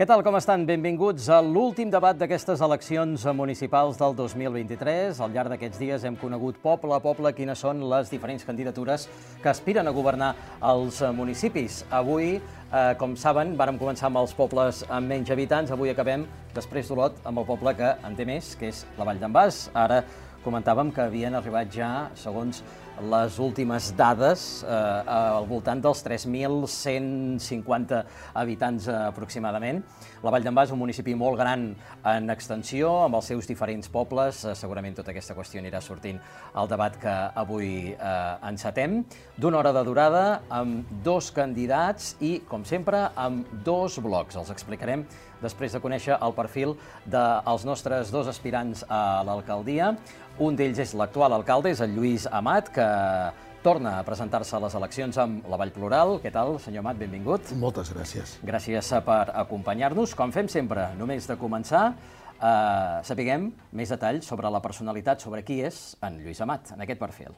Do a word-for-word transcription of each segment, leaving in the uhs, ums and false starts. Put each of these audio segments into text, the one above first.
Què tal, com estan? Benvinguts a l'últim debat d'aquestes eleccions municipals del dos mil vint-i-tres. Al llarg d'aquests dies hem conegut poble a poble quines són les diferents candidatures que aspiren a governar els municipis. Avui, eh, com saben, vàrem començar amb els pobles amb menys habitants. Avui acabem, després d'Olot, amb el poble que en té més, que és la Vall d'en Bas. Ara comentàvem que havien arribat ja, segons les últimes dades, eh, al voltant dels tres mil cent cinquanta habitants eh, aproximadament. La Vall d'en Bas és un municipi molt gran en extensió, amb els seus diferents pobles. Eh, segurament tota aquesta qüestió anirà sortint al debat que avui eh, encetem. D'una hora de durada, amb dos candidats i, com sempre, amb dos blocs. Els explicarem després de conèixer el perfil dels nostres dos aspirants a l'alcaldia. Un d'ells és l'actual alcalde, és el Lluís Amat, que torna a presentar-se a les eleccions amb la Vall Plural. Què tal, senyor Amat? Benvingut. Moltes gràcies. Gràcies per acompanyar-nos. Com fem sempre, només de començar, eh, sapiguem més detalls sobre la personalitat, sobre qui és en Lluís Amat, en aquest perfil.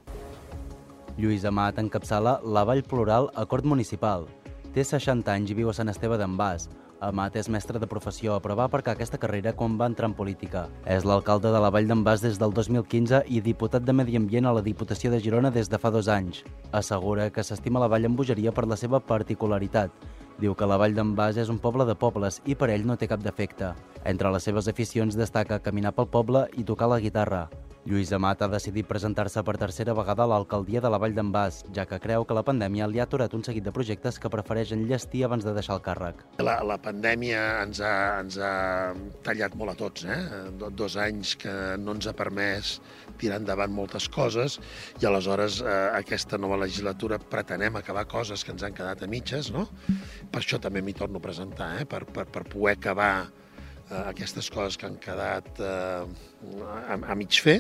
Lluís Amat encapçala la Vall Plural a Cort Municipal. Té seixanta anys i viu a Sant Esteve d'en Bas. Amat és mestre de professió, però va aparcar aquesta carrera quan va entrar en política. És l'alcalde de la Vall d'en Bas des del dos mil quinze i diputat de Medi Ambient a la Diputació de Girona des de fa dos anys. Assegura que s'estima la Vall amb bogeria per la seva particularitat. Diu que la Vall d'en Bas és un poble de pobles i per ell no té cap defecte. Entre les seves aficions destaca caminar pel poble i tocar la guitarra. Lluís Amat ha decidit presentar-se per tercera vegada a l'alcaldia de la Vall d'en Bas, ja que creu que la pandèmia li ha aturat un seguit de projectes que prefereix enllestir abans de deixar el càrrec. La, la pandèmia ens ha, ens ha tallat molt a tots, eh? Dos anys que no ens ha permès tirar endavant moltes coses i aleshores eh, aquesta nova legislatura pretenem acabar coses que ens han quedat a mitges, no? Per això també m'hi torno a presentar, eh? per, per, per poder acabar aquestes coses que han quedat eh, a, a mig fer.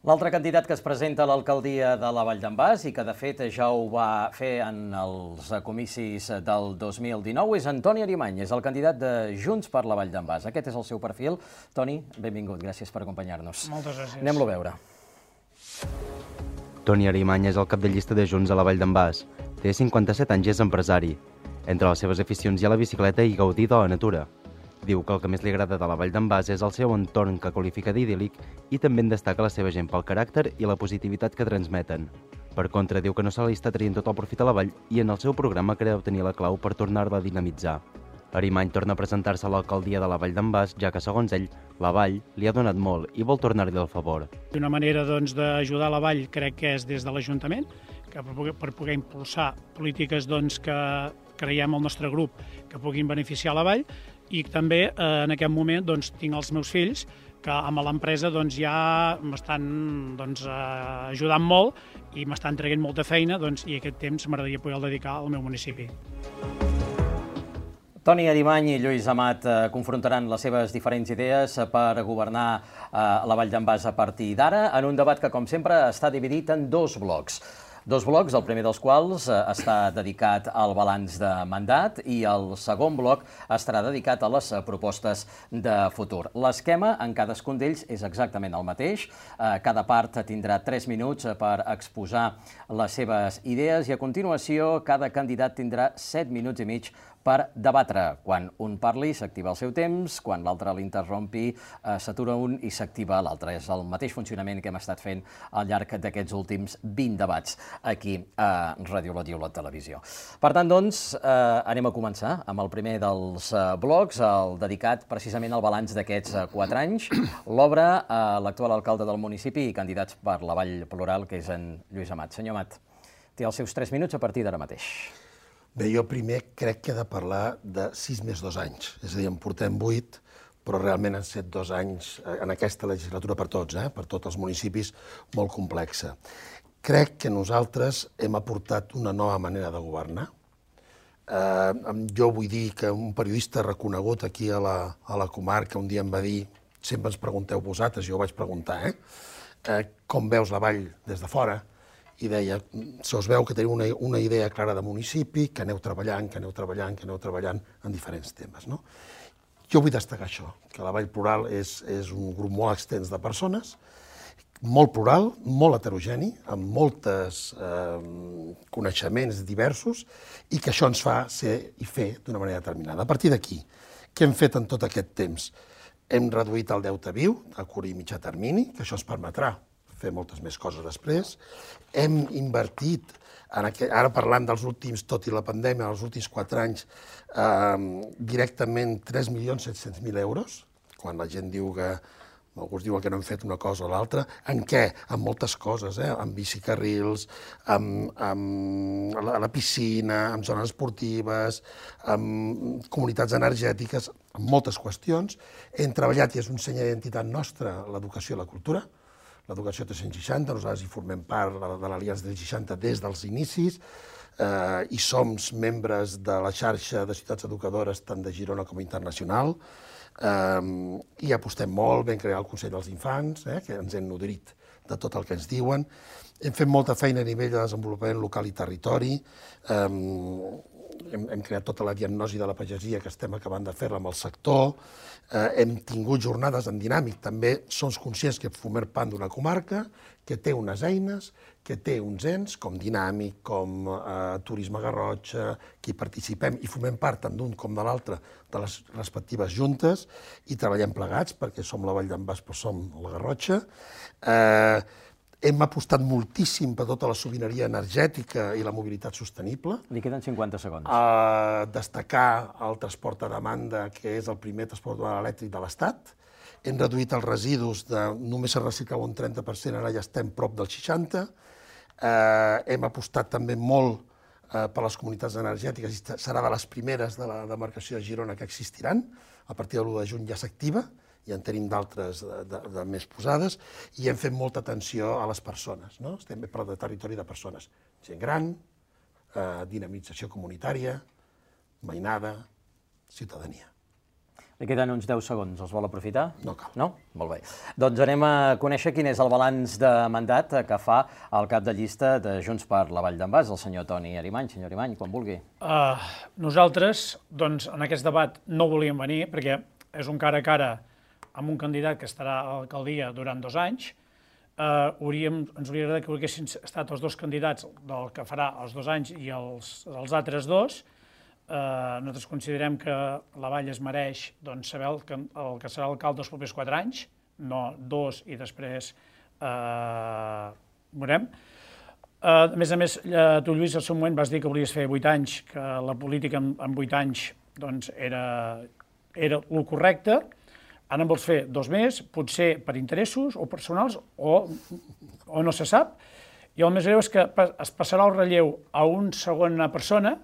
L'altre candidat que es presenta a l'alcaldia de la Vall d'en Bas i que de fet ja ho va fer en els comicis del dos mil dinou és Toni Arimany, és el candidat de Junts per la Vall d'en Bas. Aquest és el seu perfil. Toni, benvingut, gràcies per acompanyar-nos. Moltes gràcies. Anem-lo a veure. Toni Arimany és el cap de llista de Junts a la Vall d'en Bas. Té cinquanta-set anys i és empresari. Entre les seves aficions hi ha la bicicleta i gaudir de la natura. Diu que el que més li agrada de la Vall d'en Bas és el seu entorn que qualifica d'idíl·lic i també en destaca la seva gent pel caràcter i la positivitat que transmeten. Per contra, diu que no se li està traient tot el profit a la vall i en el seu programa creu tenir la clau per tornar-la a dinamitzar. Arimany torna a presentar-se a l'alcaldia de la Vall d'en Bas, ja que, segons ell, la vall li ha donat molt i vol tornar-li el favor. Una manera doncs, d'ajudar la vall crec que és des de l'Ajuntament, que per poder, per poder impulsar polítiques doncs, que creiem al nostre grup que puguin beneficiar la vall, i també eh, en aquest moment doncs, tinc els meus fills que amb l'empresa doncs, ja m'estan doncs, eh, ajudant molt i m'estan traient molta feina doncs, i aquest temps m'agradaria poder dedicar al meu municipi. Toni Arimany i Lluís Amat eh, confrontaran les seves diferents idees per governar eh, la Vall d'en Bas a partir d'ara, en un debat que, com sempre, està dividit en dos blocs. Dos blocs, el primer dels quals eh, està dedicat al balanç de mandat i el segon bloc estarà dedicat a les eh, propostes de futur. L'esquema en cadascun d'ells és exactament el mateix. Eh, cada part tindrà tres minuts per exposar les seves idees i a continuació cada candidat tindrà set minuts i mig per debatre. Quan un parli s'activa el seu temps, quan l'altre l'interrompi eh, s'atura un i s'activa l'altre. És el mateix funcionament que hem estat fent al llarg d'aquests últims vint debats aquí a Ràdio Olot i Olot Televisió. Per tant, doncs, eh, anem a començar amb el primer dels eh, blocs, el dedicat precisament al balanç d'aquests eh, quatre anys. L'obre eh, l'actual alcalde del municipi i candidats per la Vall Plural, que és en Lluís Amat. Senyor Amat, té els seus tres minuts a partir d'ara mateix. Bé, jo primer crec que he de parlar de sis més dos anys. És a dir, en portem vuit, però realment han set dos anys en aquesta legislatura per tots, eh? per tots els municipis, molt complexa. Crec que nosaltres hem aportat una nova manera de governar. Eh, jo vull dir que un periodista reconegut aquí a la, a la comarca un dia em va dir, sempre ens pregunteu vosaltres, jo ho vaig preguntar, eh? Eh, com veus la vall des de fora? I deia, se us veu que teniu una, una idea clara de municipi, que aneu treballant, que aneu treballant, que aneu treballant en diferents temes. No? Jo vull destacar això, que la Vall Plural és, és un grup molt extens de persones molt plural, molt heterogeni, amb molts coneixements diversos, i que això ens fa ser i fer d'una manera determinada. A partir d'aquí, què hem fet en tot aquest temps? Hem reduït el deute viu a curt i mitjà termini, que això ens permetrà fer moltes més coses després. Hem invertit, ara parlant dels últims, tot i la pandèmia, els últims quatre anys, directament tres milions set-cents mil euros, quan la gent diu que alguns diuen que no hem fet una cosa o l'altra. En què? En moltes coses, eh? En bicicarrils, en la piscina, en zones esportives, en comunitats energètiques, en moltes qüestions. Hem treballat, i és un seny d'identitat nostra, l'educació i la cultura. L'educació tres-cents seixanta, nosaltres hi formem part de l'Aliança tres-cents seixanta des dels inicis, i som membres de la xarxa de ciutats educadores tant de Girona com internacional, i apostem molt, vam crear el Consell dels Infants, que ens hem nodrit de tot el que ens diuen. Hem fet molta feina a nivell de desenvolupament local i territori, hem creat tota la diagnosi de la pagesia que estem acabant de fer-la amb el sector, hem tingut jornades en dinàmic, també som conscients que formem part d'una comarca que té unes eines, que té uns ens, com Dinàmic, com Turisme Garrotxa, que hi participem i formem part tant d'un com de l'altre de les respectives juntes i treballem plegats perquè som la Vall d'en Bas però som la Garrotxa. Hem apostat moltíssim per tota la sobirania energètica i la mobilitat sostenible. Li queden cinquanta segons. Destacar el transport a demanda, que és el primer transport elèctric de l'Estat. Hem reduït els residus, només es reciclava un trenta per cent, ara ja estem prop del seixanta per cent. Hem apostat també molt per les comunitats energètiques i serà de les primeres de la demarcació de Girona que existiran. A partir de l'u de juny ja s'activa, i en tenim d'altres de més posades, i hem fet molta atenció a les persones. Estem per de territori de persones. Gent gran, dinamització comunitària, veïnada, ciutadania. Li queden uns deu segons, els vol aprofitar? No cal. No? Molt bé. Doncs anem a conèixer quin és el balanç de mandat que fa el cap de llista de Junts per la Vall d'en Bas, el senyor Toni Arimany. Senyor Arimany, quan vulgui. Nosaltres, doncs, en aquest debat no volíem venir, perquè és un cara a cara amb un candidat que estarà a l'alcaldia durant dos anys. Ens hauria agradat que haguessin estat els dos candidats del que farà els dos anys i els altres dos. Nosaltres considerem que la Vall es mereix saber el que serà alcalde els propers quatre anys, no dos i després veurem. A més a més, tu, Lluís, al seu moment vas dir que volies fer vuit anys, que la política en vuit anys era el correcte. Ara en vols fer dos més, potser per interessos o personals o no se sap. I el més greu és que es passarà el relleu a una segona persona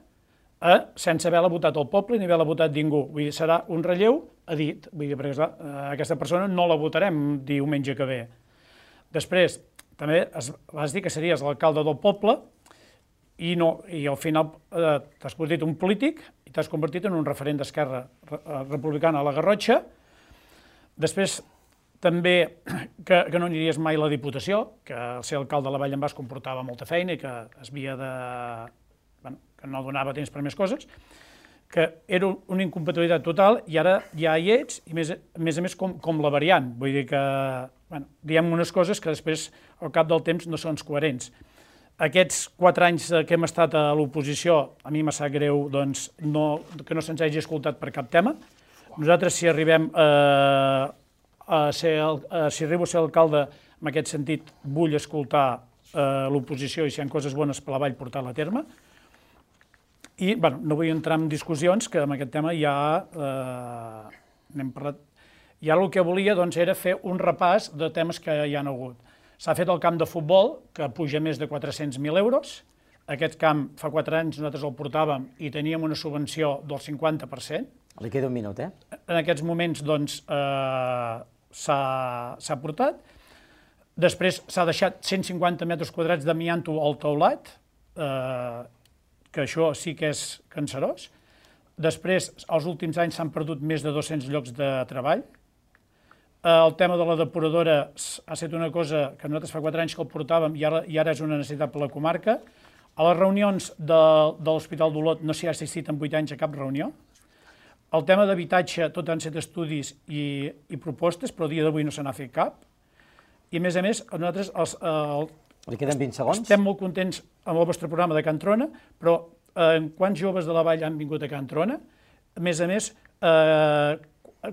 sense haver-la votat el poble ni haver-la votat ningú. Vull dir, serà un relleu a dit. Vull dir, perquè aquesta persona no la votarem diumenge que ve. Després, també vas dir que series l'alcalde del poble i al final t'has convertit en un polític i t'has convertit en un referent d'Esquerra Republicana a la Garrotxa. Després, també que no aniries mai a la Diputació, que ser alcalde de la Vall d'en Bas comportava molta feina i que es havia de... que no donava temps per més coses, que era una incompatibilitat total i ara ja hi ets, i a més a més com la variant. Vull dir que diem unes coses que després al cap del temps no són coherents. Aquests quatre anys que hem estat a l'oposició, a mi m'ha sap greu que no se'ns hagi escoltat per cap tema. Nosaltres, si arribem a ser, si arribo a ser alcalde, en aquest sentit, vull escoltar l'oposició i si hi ha coses bones per la Vall portar-la a terme. I no vull entrar en discussions, que amb aquest tema ja n'hem parlat. I ara el que volia era fer un repàs de temes que hi ha hagut. S'ha fet el camp de futbol, que puja més de quatre-cents mil euros. Aquest camp, fa quatre anys, nosaltres el portàvem i teníem una subvenció del cinquanta per cent. Li queda un minut, eh? En aquests moments, doncs, s'ha portat. Després s'ha deixat cent cinquanta metres quadrats d'amianto al teulat, que això sí que és cancerós. Després, els últims anys s'han perdut més de dos-cents llocs de treball. El tema de la depuradora ha estat una cosa que nosaltres fa quatre anys que el portàvem i ara és una necessitat per la comarca. A les reunions de l'Hospital d'Olot no s'hi ha assistit en vuit anys a cap reunió. El tema d'habitatge, tot han set estudis i propostes, però a dia d'avui no se n'ha fet cap. i a més a més, nosaltres els, el, Li queden vint segons? estem molt contents amb el vostre programa de Can Trona, però eh, quants joves de la Vall han vingut a Can Trona? A més a més, eh,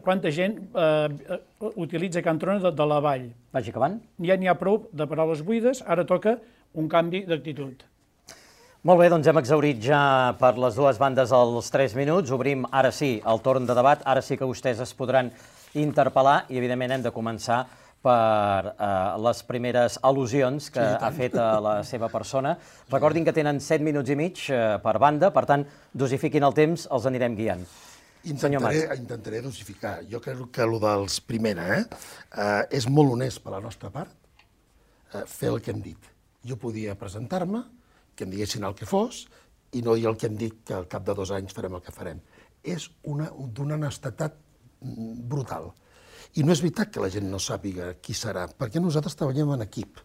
quanta gent eh, utilitza Can Trona de, de la Vall? Vagi acabant. Ja n'hi ha prou de paraules buides, ara toca un canvi d'actitud. Molt bé, doncs hem exhaurit ja per les dues bandes els tres minuts. Obrim ara sí el torn de debat. Ara sí que vostès es podran interpel·lar i, evidentment, hem de començar per eh, les primeres al·lusions que sí, ha fet a la seva persona. Recordin que tenen set minuts i mig eh, per banda, per tant, dosifiquin el temps, els anirem guiant. Intentaré, intentaré dosificar. Jo crec que el dels primera eh, eh, és molt honest per la nostra part eh, fer el que hem dit. Jo podia presentar-me, que em diguessin el que fos, i no dir el que hem dit, que al cap de dos anys farem el que farem. És d'una honestedat brutal. I no és veritat que la gent no sàpiga qui serà, perquè nosaltres treballem en equip.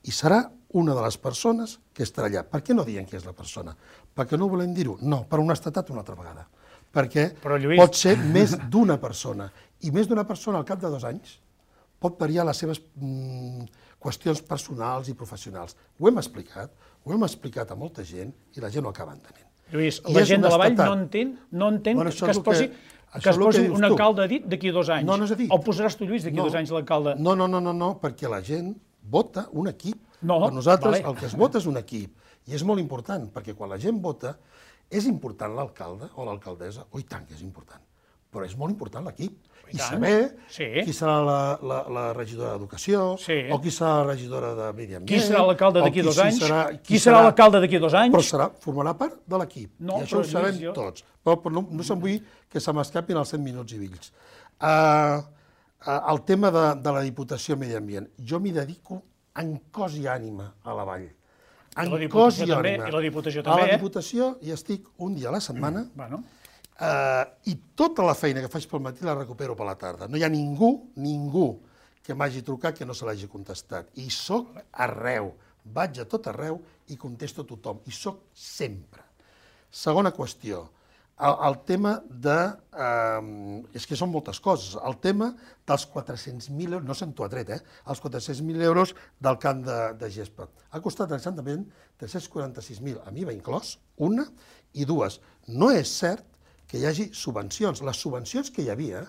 I serà una de les persones que estarà allà. Per què no diem qui és la persona? Perquè no volem dir-ho? No, per honestedat una altra vegada. Perquè Lluís... pot ser més d'una persona. I més d'una persona al cap de dos anys pot variar les seves mm, qüestions personals i professionals. Ho hem explicat, ho hem explicat a molta gent i la gent ho acaba entenent. Lluís, la gent de la Vall no entén, no entén bueno, que es posi, que, que es posi un alcalde dit d'aquí a dos anys. No, no és a dir. O posaràs tu, Lluís, d'aquí a no, dos anys l'alcalde? No, no, no, no, no, perquè la gent vota un equip. No, per nosaltres vale. El que es vota és un equip. I és molt important, perquè quan la gent vota, és important l'alcalde o l'alcaldessa, oh, i tant que és important, però és molt important l'equip. I saber sí. qui serà la, la, la regidora d'Educació, sí. o qui serà la regidora de Medi Ambient... Qui serà l'alcalde d'aquí dos anys? Serà, qui, qui serà l'alcalde d'aquí dos anys? Però serà, formarà part de l'equip, no, i això ho sabem jo... tots. Però, però no, no se'n vull que se m'escapin els cent minuts i vills. Uh, uh, el tema de, de la Diputació Medi Ambient. Jo m'hi dedico en cos i ànima a la Vall. En cos i també, ànima. I la Diputació també, a la eh? Diputació hi estic un dia a la setmana, mm, bueno. Uh, i tota la feina que faig pel matí la recupero per la tarda. No hi ha ningú, ningú que m'hagi trucat que no se l'hagi contestat. I soc arreu, vaig a tot arreu i contesto a tothom. I soc sempre. Segona qüestió, el, el tema de... Uh, és que són moltes coses. El tema dels quatre-cents mil euros, no se'n t'ho ha tret, eh? Els quatre-cents mil euros del camp de, de gespa. Ha costat exactament tres-cents quaranta-sis mil, a mi va inclòs, una, i dues. No és cert que hi hagi subvencions. Les subvencions que hi havia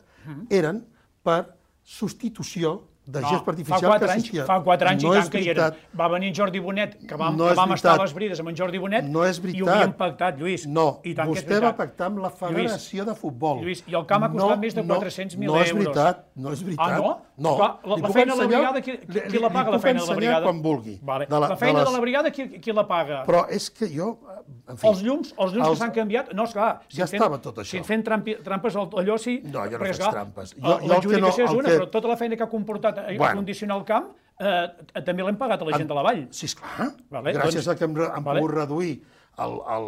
eren per substitució de no, gespa artificial que assistia. Fa quatre anys no i tant que hi eren. Va venir en Jordi Bonet, que vam, no que vam estar a les brides amb en Jordi Bonet, no és veritat. I ho havíem pactat, Lluís. No, I tant vostè va pactar amb la Federació Lluís, de Futbol. Lluís, i el camp ha costat no, més de quatre-cents mil no, euros. No és veritat, no és veritat. Ah, no? No. Clar, la, la feina de la brigada, qui, qui la paga, la feina de la brigada? quan vulgui. Vale. De la, la feina de, les... de la brigada, qui, qui la paga? Però és que jo... En fi, els llums, els llums els... que s'han canviat, no, esclar, si ja fent, estava tot això. Si fent trampi, trampes allò sí... No, jo no faig trampes. L'adjudicació és una, però tota la feina que ha comportat a condicionar el camp eh, també l'hem pagat a la gent de la Vall. Sí, esclar. Vale, gràcies doncs, a que hem, hem vale. pogut reduir el, el,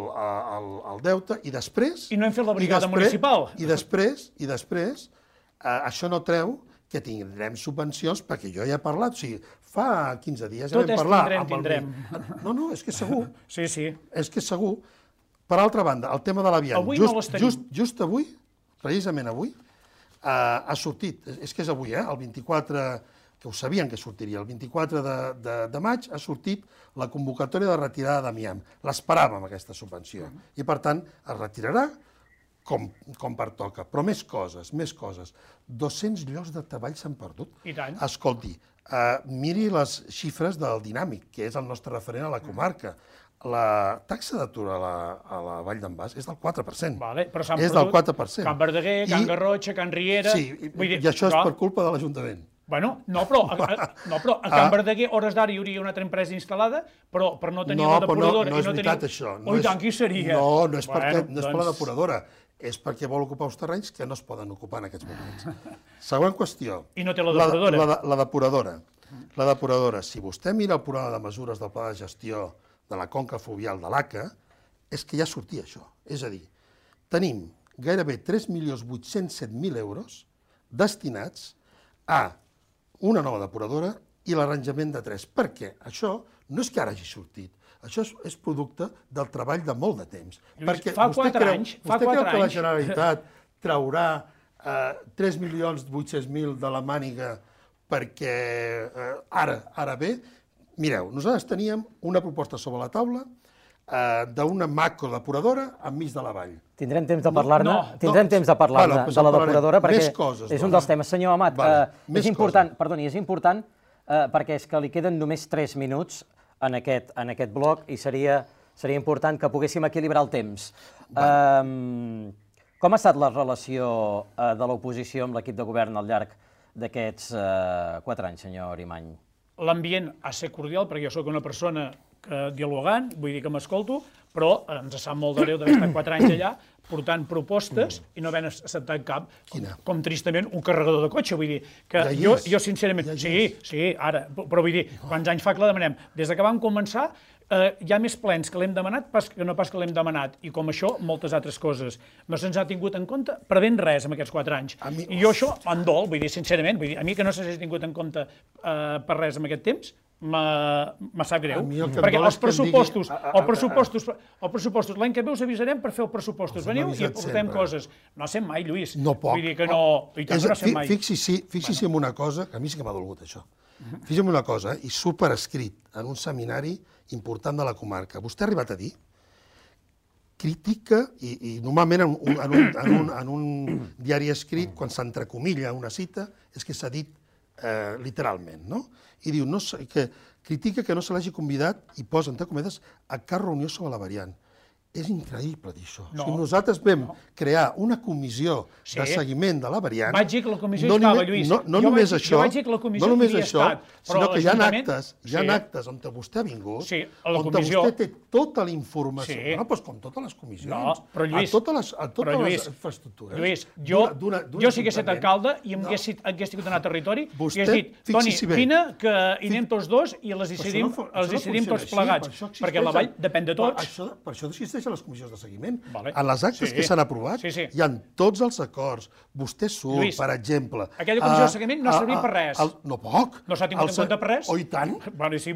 el, el deute i després... I no hem fet la brigada i després, municipal. I després, i després eh, això no treu que tindrem subvencions, perquè jo ja he parlat, o sigui, fa quinze dies ja Tot vam parlar... Tot és tindrem, tindrem. No, no, és que segur. Sí, sí. És que segur. Per altra banda, el tema de l'aviam. Avui just, no les tenim. Just, just avui, precisament avui, eh, ha sortit, és que és avui, eh, el vint-i-quatre, que ho sabien que sortiria, el vint-i-quatre de, de, de maig ha sortit la convocatòria de retirada d'amiant. L'esperàvem, aquesta subvenció. Uh-huh. I, per tant, es retirarà com, com pertoca. Però més coses, més coses. dos-cents llocs de treball s'han perdut. I tant. Escolti, eh, miri les xifres del Dinàmic, que és el nostre referent a la comarca. La taxa d'atur a, la, a la Vall d'en Bas és del quatre per cent. Vale, però s'han és perdut del quatre per cent. Can Verdaguer, Can Garrotxa, Can Riera... Sí, i, vull dir, i això és per culpa de l'Ajuntament. Bueno, no, però a, a, no, però a Can ah. Verdaguer, hores d'ara, hi hauria una altra empresa instal·lada, però per no tenir no, la depuradora... No, no és i no veritat, teniu... això. No oh, i tant, qui seria? No, no és, bueno, perquè, no és doncs... per la depuradora, és perquè vol ocupar uns terrenys que no es poden ocupar en aquests moments. Següent qüestió. I no té la depuradora? La, la, la depuradora. La depuradora. Si vostè mira el programa de mesures del pla de gestió de la conca fluvial de l'A C A, és que ja sortia això. És a dir, tenim gairebé tres milions vuit-cents set mil euros destinats a una nova depuradora i l'arranjament de tres. Per què? Això no és que ara hagi sortit. Això és, és producte del treball de molt de temps. Lluís, Perquè fa vostè quatre creu, anys, vostè fa creu quatre que la anys. Generalitat traurà eh, tres milions vuit-cents mil de la màniga perquè ara, ara bé, mireu, nosaltres teníem una proposta sobre la taula d'una macrodepuradora enmig de la vall. Tindrem temps de parlar-ne tindrem temps de parlar-ne de la depuradora perquè és un dels temes. Senyor Amat, és important, perdoni, és important perquè és que li queden només tres minuts en aquest bloc i seria important que poguéssim equilibrar el temps. Com ha estat la relació de l'oposició amb l'equip de govern al llarg d'aquests quatre anys, senyor Arimany? L'ambient ha de ser cordial perquè jo sóc una persona dialogant, vull dir que m'escolto, però ens sap molt de greu d'haver estat quatre anys allà portant propostes i no haver acceptat cap, com tristament un carregador de cotxe, vull dir que jo sincerament, sí, sí, ara, però vull dir, quants anys fa que la demanem? Des que vam començar hi ha més plens que l'hem demanat que no pas que l'hem demanat, i com això moltes altres coses. No se'ns ha tingut en compte per ben res en aquests quatre anys. I jo això em dol, vull dir, sincerament, a mi que no s'hagi tingut en compte per res en aquest temps, me sap greu, perquè els pressupostos, els pressupostos, l'any que ve us avisarem per fer els pressupostos, veniu i aportem coses. No sent mai, Lluís. No poc. Vull dir que no, i tant que no sent mai. Fixi-s'hi en una cosa, que a mi sí que m'ha dolgut això. Fixi-s'hi en una cosa, i surt per escrit en un seminari important de la comarca. Vostè ha arribat a dir crítica, i normalment en un diari escrit, quan s'entrecomilla una cita, és que s'ha dit literalment, no? I diu que critica que no se l'hagi convidat i posa, entre cometes, a cap reunió sobre la variant. És increïble dir això. Nosaltres vam crear una comissió de seguiment de la variant. Vaig dir que la comissió hi estava, Lluís. No només això, no només això, sinó que hi ha actes, hi ha actes on vostè ha vingut, on vostè té tota la informació, no, doncs com totes les comissions, a totes les infraestructures. Lluís, jo si hagués estat alcalde i hagués tingut anar a territori, hagués dit, Toni, vine que hi anem tots dos i les decidim tots plegats, perquè la vall depèn de tots. Per això existeix a les comissions de seguiment. En les actes que s'han aprovat hi ha tots els acords. Vostè surt, per exemple... Aquella comissió de seguiment no ha servit per res. No poc. No s'ha tingut en compte per res? Oh, i tant.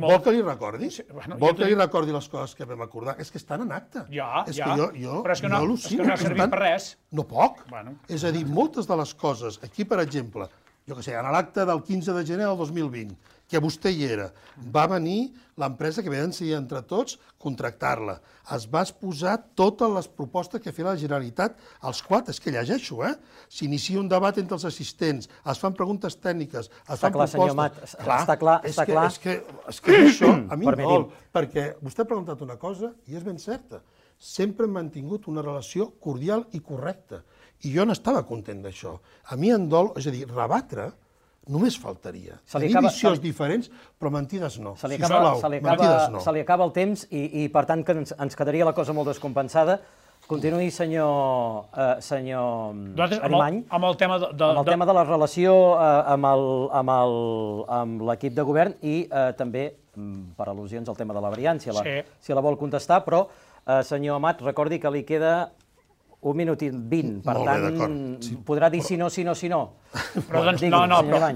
Vol que li recordi? Vol que li recordi les coses que vam acordar? És que estan en acte. Ja, ja. Però és que no ha servit per res. No poc. És a dir, moltes de les coses, aquí, per exemple, jo què sé, en l'acte del quinze de gener del dos mil vint, que vostè hi era, va venir l'empresa que vam decidir entre tots contractar-la. Es va exposar totes les propostes que feia la Generalitat, els quatre, és que llegeixo, eh? S'inicia un debat entre els assistents, es fan preguntes tècniques, es fan propostes... Està clar, senyor Amat, està clar, està clar. És que això a mi em dol, perquè vostè ha preguntat una cosa i és ben certa. Sempre hem mantingut una relació cordial i correcta. I jo n'estava content d'això. A mi em dol, és a dir, rebatre, només faltaria. Tenir visions diferents, però mentides no. Se li acaba el temps i, per tant, que ens quedaria la cosa molt descompensada. Continuï, senyor Arimany. Amb el tema de la relació amb l'equip de govern i també, per al·lusions, el tema de la variant, si la vol contestar, però, senyor Amat, recordi que li queda un minut i vint, per tant, podrà dir si no, si no, si no. Però doncs, no, no, però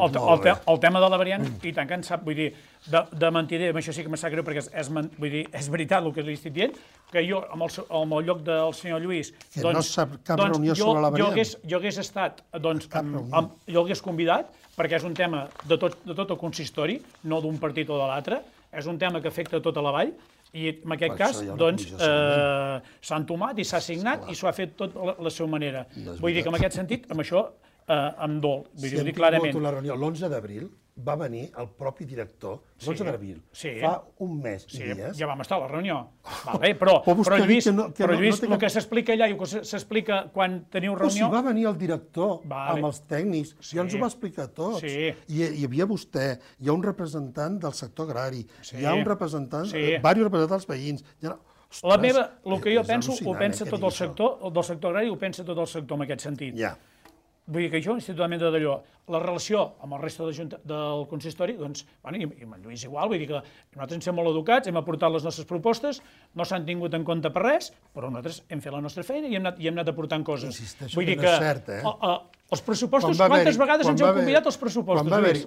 el tema de la variant, i tant que en sap, vull dir, de mentider, això sí que em sap greu, perquè és veritat el que li estic dient, que jo, al lloc del senyor Lluís, doncs, jo hagués estat, doncs, jo hagués convidat, perquè és un tema de tot el consistori, no d'un partit o de l'altre, és un tema que afecta tota la vall, i en aquest cas, doncs, s'ha entomat i s'ha signat i s'ho ha fet tot a la seva manera. Vull dir que en aquest sentit, amb això, em dol, vull dir, ho dic clarament. L'onze d'abril va venir el propi director, l'onze d'abril, fa un mes i dies. Ja vam estar a la reunió. Però, Lluís, el que s'explica allà i el que s'explica quan teniu reunió... Però si va venir el director amb els tècnics, ja ens ho va explicar tots. Hi havia vostè, hi ha un representant del sector agrari, hi ha un representant, diversos representants dels veïns... La meva, el que jo penso, ho pensa tot el sector, del sector agrari ho pensa tot el sector en aquest sentit. Ja. Vull dir que jo, institucionalment de d'allò, la relació amb el reste del consistori, doncs, i amb en Lluís igual, vull dir que nosaltres hem sigut molt educats, hem aportat les nostres propostes, no s'han tingut en compte per res, però nosaltres hem fet la nostra feina i hem anat aportant coses. Insisteixo que no és cert, eh? Els pressupostos, quantes vegades ens heu convidat als pressupostos, Lluís?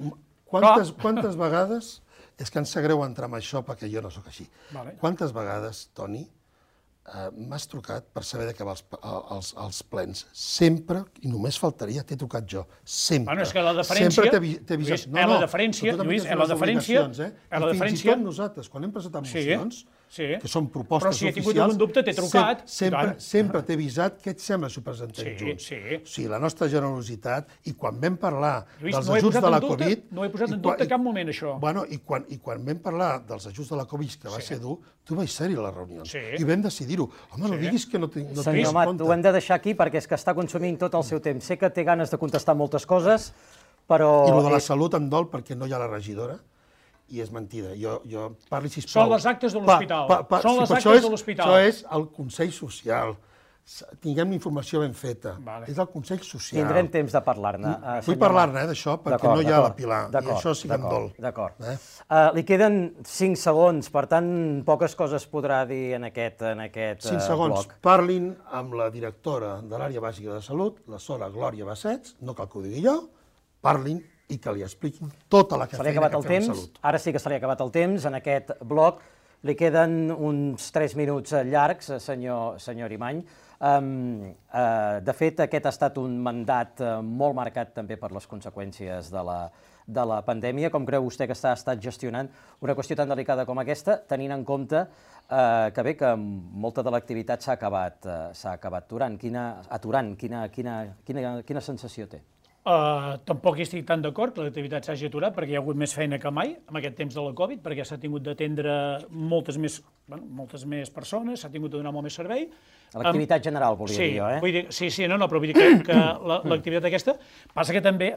Quantes vegades, és que em sap greu entrar en això perquè jo no sóc així, quantes vegades, Toni, m'has trucat per saber d'acabar els plens. Sempre, i només faltaria, t'he trucat jo. Sempre. Bueno, és que la deferència... Sempre t'he avisat. No, no, la deferència, Lluís, la deferència... I fins i tot nosaltres, quan hem presentat mocions, que són propostes oficials... Però si he tingut algun dubte, t'he trucat. Sempre t'he avisat què et sembla si ho presentem junts. O sigui, la nostra generositat, i quan vam parlar dels ajuts de la Covid... No he posat en dubte cap moment, això. Bueno, i quan vam parlar dels ajuts de la Covid, que va ser dur, tu vaig ser-hi a les reunions. I vam decidir-ho. Home, no diguis que no tens compte. Senyor Amat, ho hem de deixar aquí perquè és que està consumint tot el seu temps. Sé que té ganes de contestar moltes coses, però... I el de la salut em dol perquè no hi ha la regidora, i és mentida. Jo parli, sisplau... Són les actes de l'hospital. Són les actes de l'hospital. Això és el Consell Social. Tinguem informació ben feta. És el Consell Social. Tindrem temps de parlar-ne. Vull parlar-ne d'això perquè no hi ha la Pilar, i això sí que em dol. D'acord. Li queden cinc segons, per tant, poques coses podrà dir en aquest bloc. Cinc segons. Parlin amb la directora de l'àrea bàsica de salut, la Sora Glòria Bassets, no cal que ho digui jo, parlin i que li expliquin tota la feina que fem en salut. Ara sí que se li ha acabat el temps. En aquest bloc li queden uns tres minuts llargs, senyor Arimany. De fet, aquest ha estat un mandat molt marcat també per les conseqüències de la pandèmia. Com creu vostè que s'ha estat gestionant una qüestió tan delicada com aquesta, tenint en compte que bé, que molta de l'activitat s'ha acabat aturant? Quina sensació té? Tampoc hi estic tan d'acord que l'activitat s'hagi aturat perquè hi ha hagut més feina que mai en aquest temps de la Covid, perquè s'ha tingut d'atendre moltes més persones, s'ha tingut de donar molt més servei. L'activitat general, volia dir jo, eh? Sí, sí, no, no, però vull dir que l'activitat aquesta passa que també,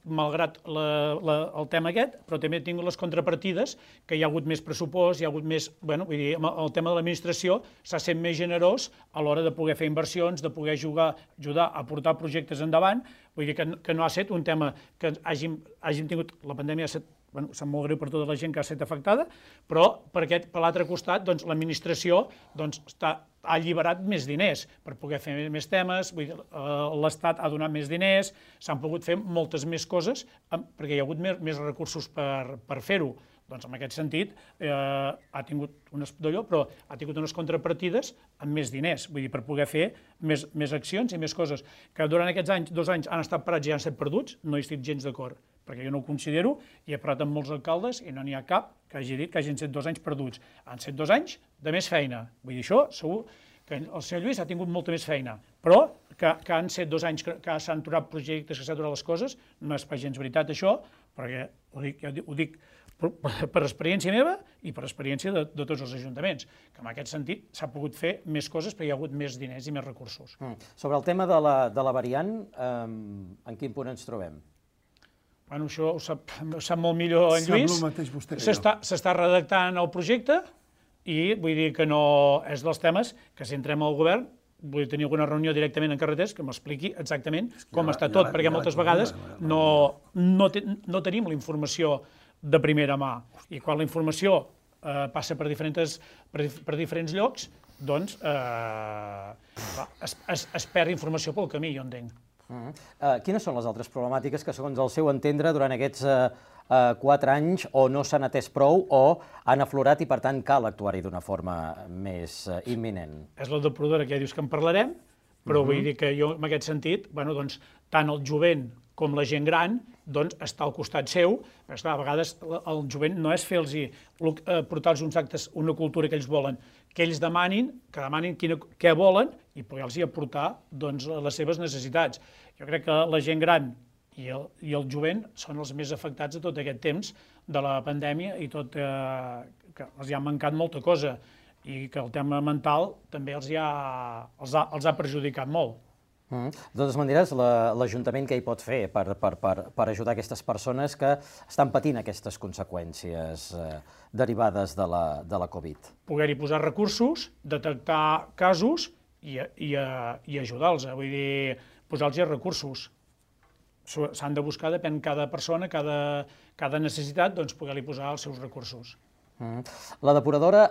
malgrat el tema aquest, però també ha tingut les contrapartides, que hi ha hagut més pressupost, hi ha hagut més... Bueno, vull dir, el tema de l'administració s'ha sent més generós a l'hora de poder fer inversions, de poder ajudar a portar projectes endavant. Vull dir que no ha estat un tema que hàgim tingut... La pandèmia ha estat... Bueno, sap molt greu per tota la gent que ha estat afectada, però per l'altre costat l'administració ha alliberat més diners per poder fer més temes, l'Estat ha donat més diners, s'han pogut fer moltes més coses perquè hi ha hagut més recursos per fer-ho. Doncs en aquest sentit ha tingut unes contrapartides amb més diners, vull dir, per poder fer més accions i més coses. Que durant aquests dos anys han estat parats i han estat perduts, no hi estic gens d'acord, perquè jo no ho considero, i he parlat amb molts alcaldes i no n'hi ha cap que hagi dit que hagin estat dos anys perduts. Han estat dos anys de més feina. Vull dir, això segur que el senyor Lluís ha tingut molta més feina, però que han estat dos anys que s'han aturat projectes, que s'han aturat les coses, no és pas gens veritat això, perquè ho dic per experiència meva i per experiència de tots els ajuntaments, que en aquest sentit s'ha pogut fer més coses perquè hi ha hagut més diners i més recursos. Sobre el tema de la variant, en quin punt ens trobem? Bueno, això ho sap molt millor en Lluís. S'està redactant el projecte i vull dir que no és dels temes que si entrem al govern vull tenir alguna reunió directament en carreters que m'expliqui exactament com està tot, perquè moltes vegades no tenim la informació de primera mà. I quan la informació passa per diferents llocs, doncs es perd informació pel camí, jo entenc. Quines són les altres problemàtiques que, segons el seu entendre, durant aquests quatre anys o no s'han atès prou o han aflorat i, per tant, cal actuar-hi d'una forma més imminent? És la depuradora que ja dius que en parlarem, però vull dir que jo, en aquest sentit, tant el jovent com la gent gran està al costat seu, perquè a vegades el jovent no és fer-los, portar-los uns actes, una cultura que ells volen, que ells demanin, que demanin què volen i poder-los aportar les seves necessitats. Jo crec que la gent gran i el jovent són els més afectats de tot aquest temps de la pandèmia i tot que els ha mancat molta cosa i que el tema mental també els ha perjudicat molt. De totes maneres, l'Ajuntament què hi pot fer per ajudar aquestes persones que estan patint aquestes conseqüències derivades de la Covid? Poder-hi posar recursos, detectar casos i ajudar-los, vull dir, posar-los recursos. S'han de buscar, depèn cada persona, cada necessitat, doncs poder-li posar els seus recursos. La depuradora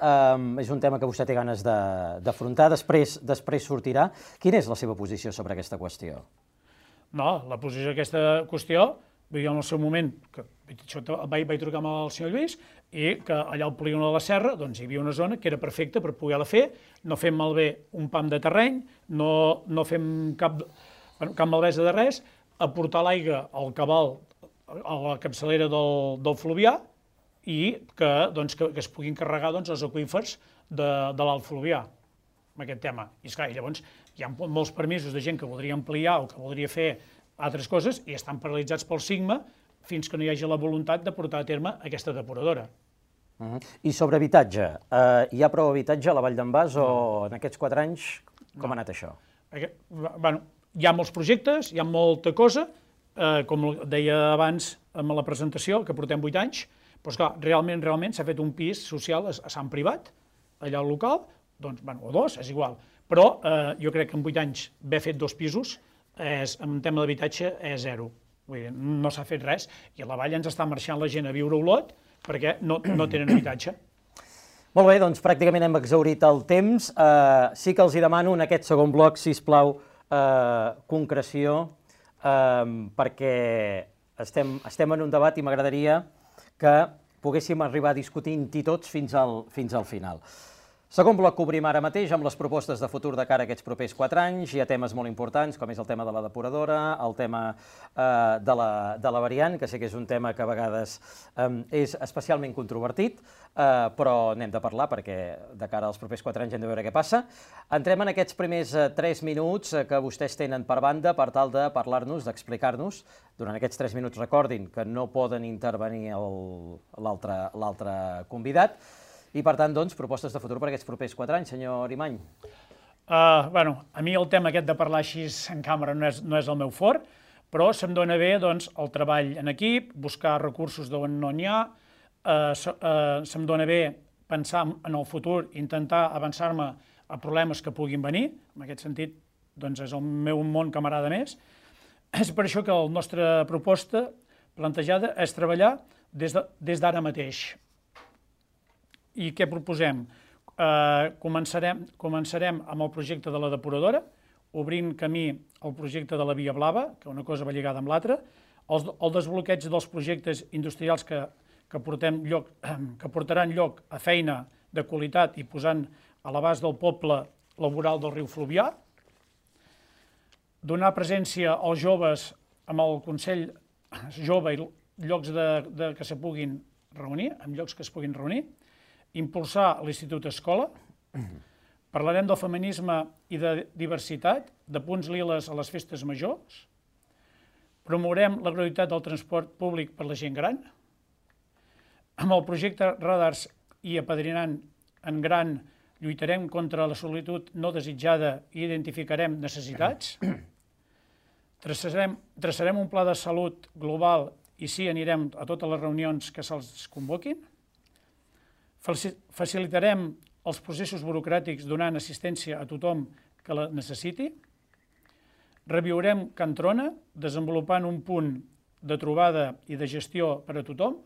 és un tema que vostè té ganes d'afrontar, després sortirà. Quina és la seva posició sobre aquesta qüestió? No, la posició d'aquesta qüestió vull dir, en el seu moment, que això vaig, vaig trucar amb el senyor Lluís, i que allà al polígon de la Serra doncs, hi havia una zona que era perfecta per poder-la fer, no fem malbé un pam de terreny, no, no fem cap, cap malbesa de res, aportar l'aigua al cabal, a la capçalera del, del fluvià, i que, doncs, que, que es puguin carregar doncs, els aqüífers de, de l'alt fluvià, amb aquest tema. I esclar, llavors hi ha molts permisos de gent que voldria ampliar o que voldria fer altres coses i estan paralitzats pel SIGMA fins que no hi hagi la voluntat de portar a terme aquesta depuradora. Uh-huh. I sobre habitatge, eh, hi ha prou habitatge a la Vall d'en Bas o en aquests quatre anys com No. ha anat això? Aquest, bueno, hi ha molts projectes, hi ha molta cosa, eh, com deia abans amb la presentació, que portem vuit anys, però esclar, realment, realment s'ha fet un pis social a, a Sant Privat, allà al local, doncs, bueno, o dos, és igual, però eh, jo crec que en vuit anys haver fet dos pisos, és, en tema d'habitatge, és zero. Vull dir, no s'ha fet res, i a la Vall ens està marxant la gent a viure a Olot perquè no, no tenen habitatge. Molt bé, doncs pràcticament hem exhaurit el temps. Uh, sí que els hi demano en aquest segon bloc, sisplau, uh, concreció, uh, perquè estem, estem en un debat i m'agradaria que poguéssim arribar discutint-hi tots fins al, fins al final. Segon bloc que obrim ara mateix amb les propostes de futur de cara a aquests propers quatre anys. Hi ha temes molt importants, com és el tema de la depuradora, el tema eh, de, la, de la variant, que sé que és un tema que a vegades eh, és especialment controvertit, eh, però n'hem de parlar perquè de cara als propers quatre anys hem de veure què passa. Entrem en aquests primers eh, tres minuts eh, que vostès tenen per banda per tal de parlar-nos, d'explicar-nos. Durant aquests tres minuts recordin que no poden intervenir l'altre convidat. I, per tant, doncs, propostes de futur per aquests propers quatre anys, senyor Arimany. Uh, bueno, a mi el tema aquest de parlar així en càmera no és, no és el meu fort, però se'm dona bé doncs, el treball en equip, buscar recursos d'on no n'hi ha, uh, se, uh, se'm dona bé pensar en el futur, intentar avançar-me a problemes que puguin venir, en aquest sentit doncs, és el meu món que m'agrada més. És per això que la nostra proposta plantejada és treballar des de, des d'ara mateix. I què proposem? Eh, començarem, començarem amb el projecte de la depuradora, obrint camí al projecte de la Via Blava, que una cosa va lligada amb l'altra, el, el desbloqueig dels projectes industrials que, que, portem lloc, que portaran lloc a feina de qualitat i posant a l'abast del poble laboral del riu Fluvià, donar presència als joves amb el Consell Jove i llocs de, de, que se puguin reunir, amb llocs que es puguin reunir, impulsar l'Institut Escola, parlarem del feminisme i de diversitat, de punts liles a les festes majors, promourem la gratuïtat del transport públic per la gent gran, amb el projecte Radars i apadrinant en gran lluitarem contra la solitud no desitjada i identificarem necessitats, traçarem, traçarem un pla de salut global i sí anirem a totes les reunions que se'ls convoquin, facilitarem els processos burocràtics donant assistència a tothom que la necessiti, reviurem Can Trona, desenvolupant un punt de trobada i de gestió per a tothom,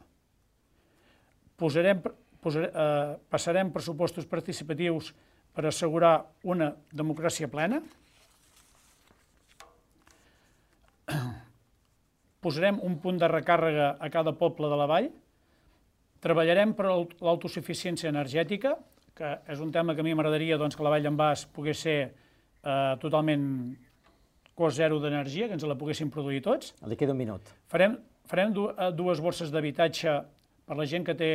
posarem, posarem, eh, passarem pressupostos participatius per assegurar una democràcia plena, posarem un punt de recàrrega a cada poble de la vall, treballarem per l'autosuficiència energètica, que és un tema que a mi m'agradaria doncs, que la Vall d'en Bas pogués ser eh, totalment cost zero d'energia, que ens la poguéssim produir tots. Li queda un minut. Farem, farem dues borses d'habitatge per la gent que té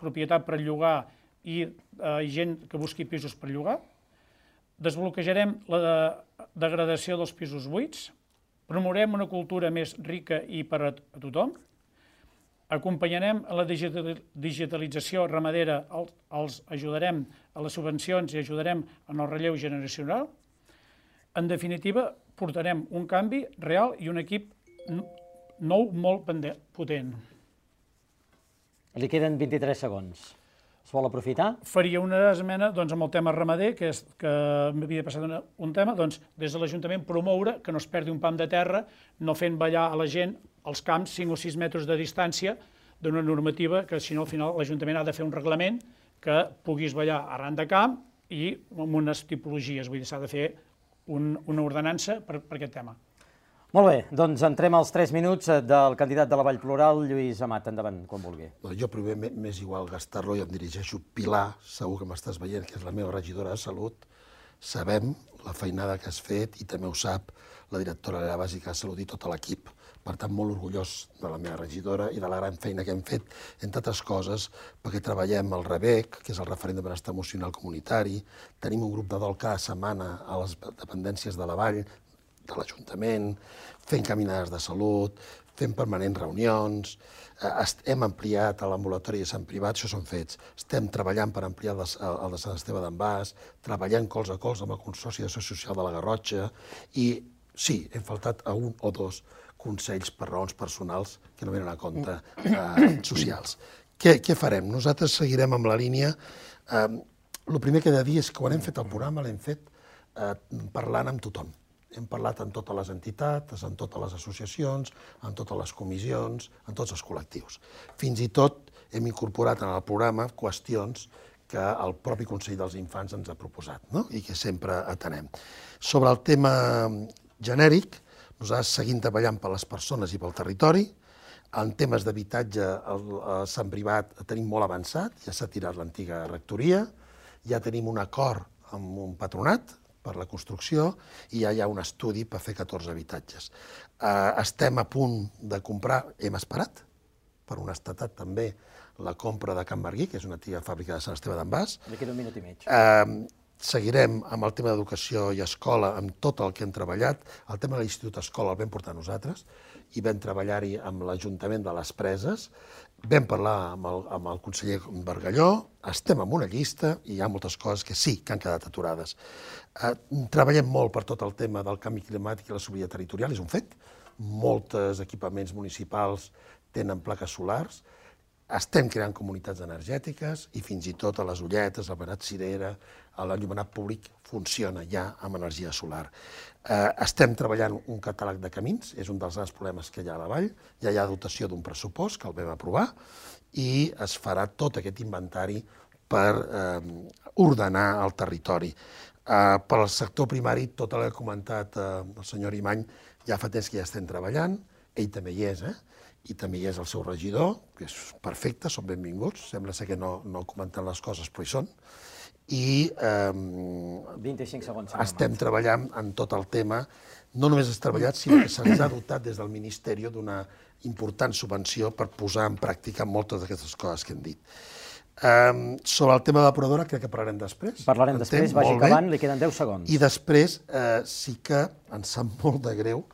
propietat per llogar i eh, gent que busqui pisos per llogar. Desbloquejarem la degradació dels pisos buits. Promourem una cultura més rica i per a tothom. Acompanyarem a la digitalització ramadera, els ajudarem a les subvencions i ajudarem en el relleu generacional. En definitiva, portarem un canvi real i un equip nou molt potent. Li queden vint-i-tres segons. Es vol aprofitar? Faria una esmena doncs, amb el tema ramader, que, és, que m'havia passat una, un tema, doncs, des de l'Ajuntament promoure que no es perdi un pam de terra, no fent ballar a la gent als camps cinc o sis metres de distància d'una normativa que, si no, al final l'Ajuntament ha de fer un reglament que puguis ballar arran de camp i amb unes tipologies. Vull dir, s'ha de fer un, una ordenança per, per aquest tema. Molt bé, doncs entrem als tres minuts del candidat de la Vall Plural, Lluís Amat. Endavant, quan vulgui. Jo primer m'és igual gastar-lo i em dirigeixo. Pilar, segur que m'estàs veient, que és la meva regidora de Salut. Sabem la feinada que has fet i també ho sap la directora de l'àrea bàsica de Salut i tot l'equip. Per tant, molt orgullós de la meva regidora i de la gran feina que hem fet, entre altres coses, perquè treballem el REBEC, que és el referent de benestar emocional comunitari, tenim un grup de dol cada setmana a les dependències de la Vall, de l'Ajuntament, fent caminades de salut, fent permanents reunions, hem ampliat l'ambulatori de Sant Privat, això són fets, estem treballant per ampliar el de Sant Esteve d'en Bas, treballant cols a cols amb el Consorci d'Acció Social de la Garrotxa i sí, hem faltat a un o dos consells per raons personals que no venen a compte eh, socials. Què, què farem? Nosaltres seguirem amb la línia. Eh, el primer que he de dir és que quan hem fet el programa l'hem fet eh, parlant amb tothom. Hem parlat amb totes les entitats, amb totes les associacions, amb totes les comissions, amb tots els col·lectius. Fins i tot hem incorporat en el programa qüestions que el propi Consell dels Infants ens ha proposat, no? I que sempre atenem. Sobre el tema genèric, nosaltres seguim treballant per les persones i pel territori. En temes d'habitatge, a Sant Privat tenim molt avançat, ja s'ha tirat l'antiga rectoria, ja tenim un acord amb un patronat per la construcció i ja hi ha un estudi per fer catorze habitatges. Estem a punt de comprar, hem esperat, per honestedat també, la compra de Can Barguí, que és una antiga fàbrica de Sant Esteve d'en Bas. D'aquí un minut i mig. Seguirem amb el tema d'educació i escola, amb tot el que hem treballat. El tema de l'Institut Escola el vam portar nosaltres i vam treballar-hi amb l'Ajuntament de les Preses. Vam parlar amb el, amb el conseller Bargalló, estem en una llista i hi ha moltes coses que sí que han quedat aturades. Eh, treballem molt per tot el tema del canvi climàtic i la sobirania territorial, és un fet. Molts equipaments municipals tenen plaques solars. Estem creant comunitats energètiques i fins i tot a les Ulletes, al Benat Cirera, l'enllumenat públic funciona ja amb energia solar. Eh, estem treballant un catàleg de camins, és un dels grans problemes que hi ha a la Vall, ja hi ha dotació d'un pressupost que el vam aprovar i es farà tot aquest inventari per eh, ordenar el territori. Eh, per al sector primari, tot el que ha comentat eh, el senyor Imany, ja fa temps que ja estem treballant, ell també hi és, eh? i també hi és el seu regidor, que és perfecte, són benvinguts, sembla ser que no, no comenten les coses, però hi són, i eh, vint-i-cinc segons. Estem treballant en tot el tema, no només has treballat, sinó que se'ns ha dotat des del Ministeri d'una important subvenció per posar en pràctica moltes d'aquestes coses que hem dit. Eh, sobre el tema de la depuradora crec que parlarem després. Parlarem després, vagi acabant, li queden deu segons. I després eh, sí que ens sap molt de greu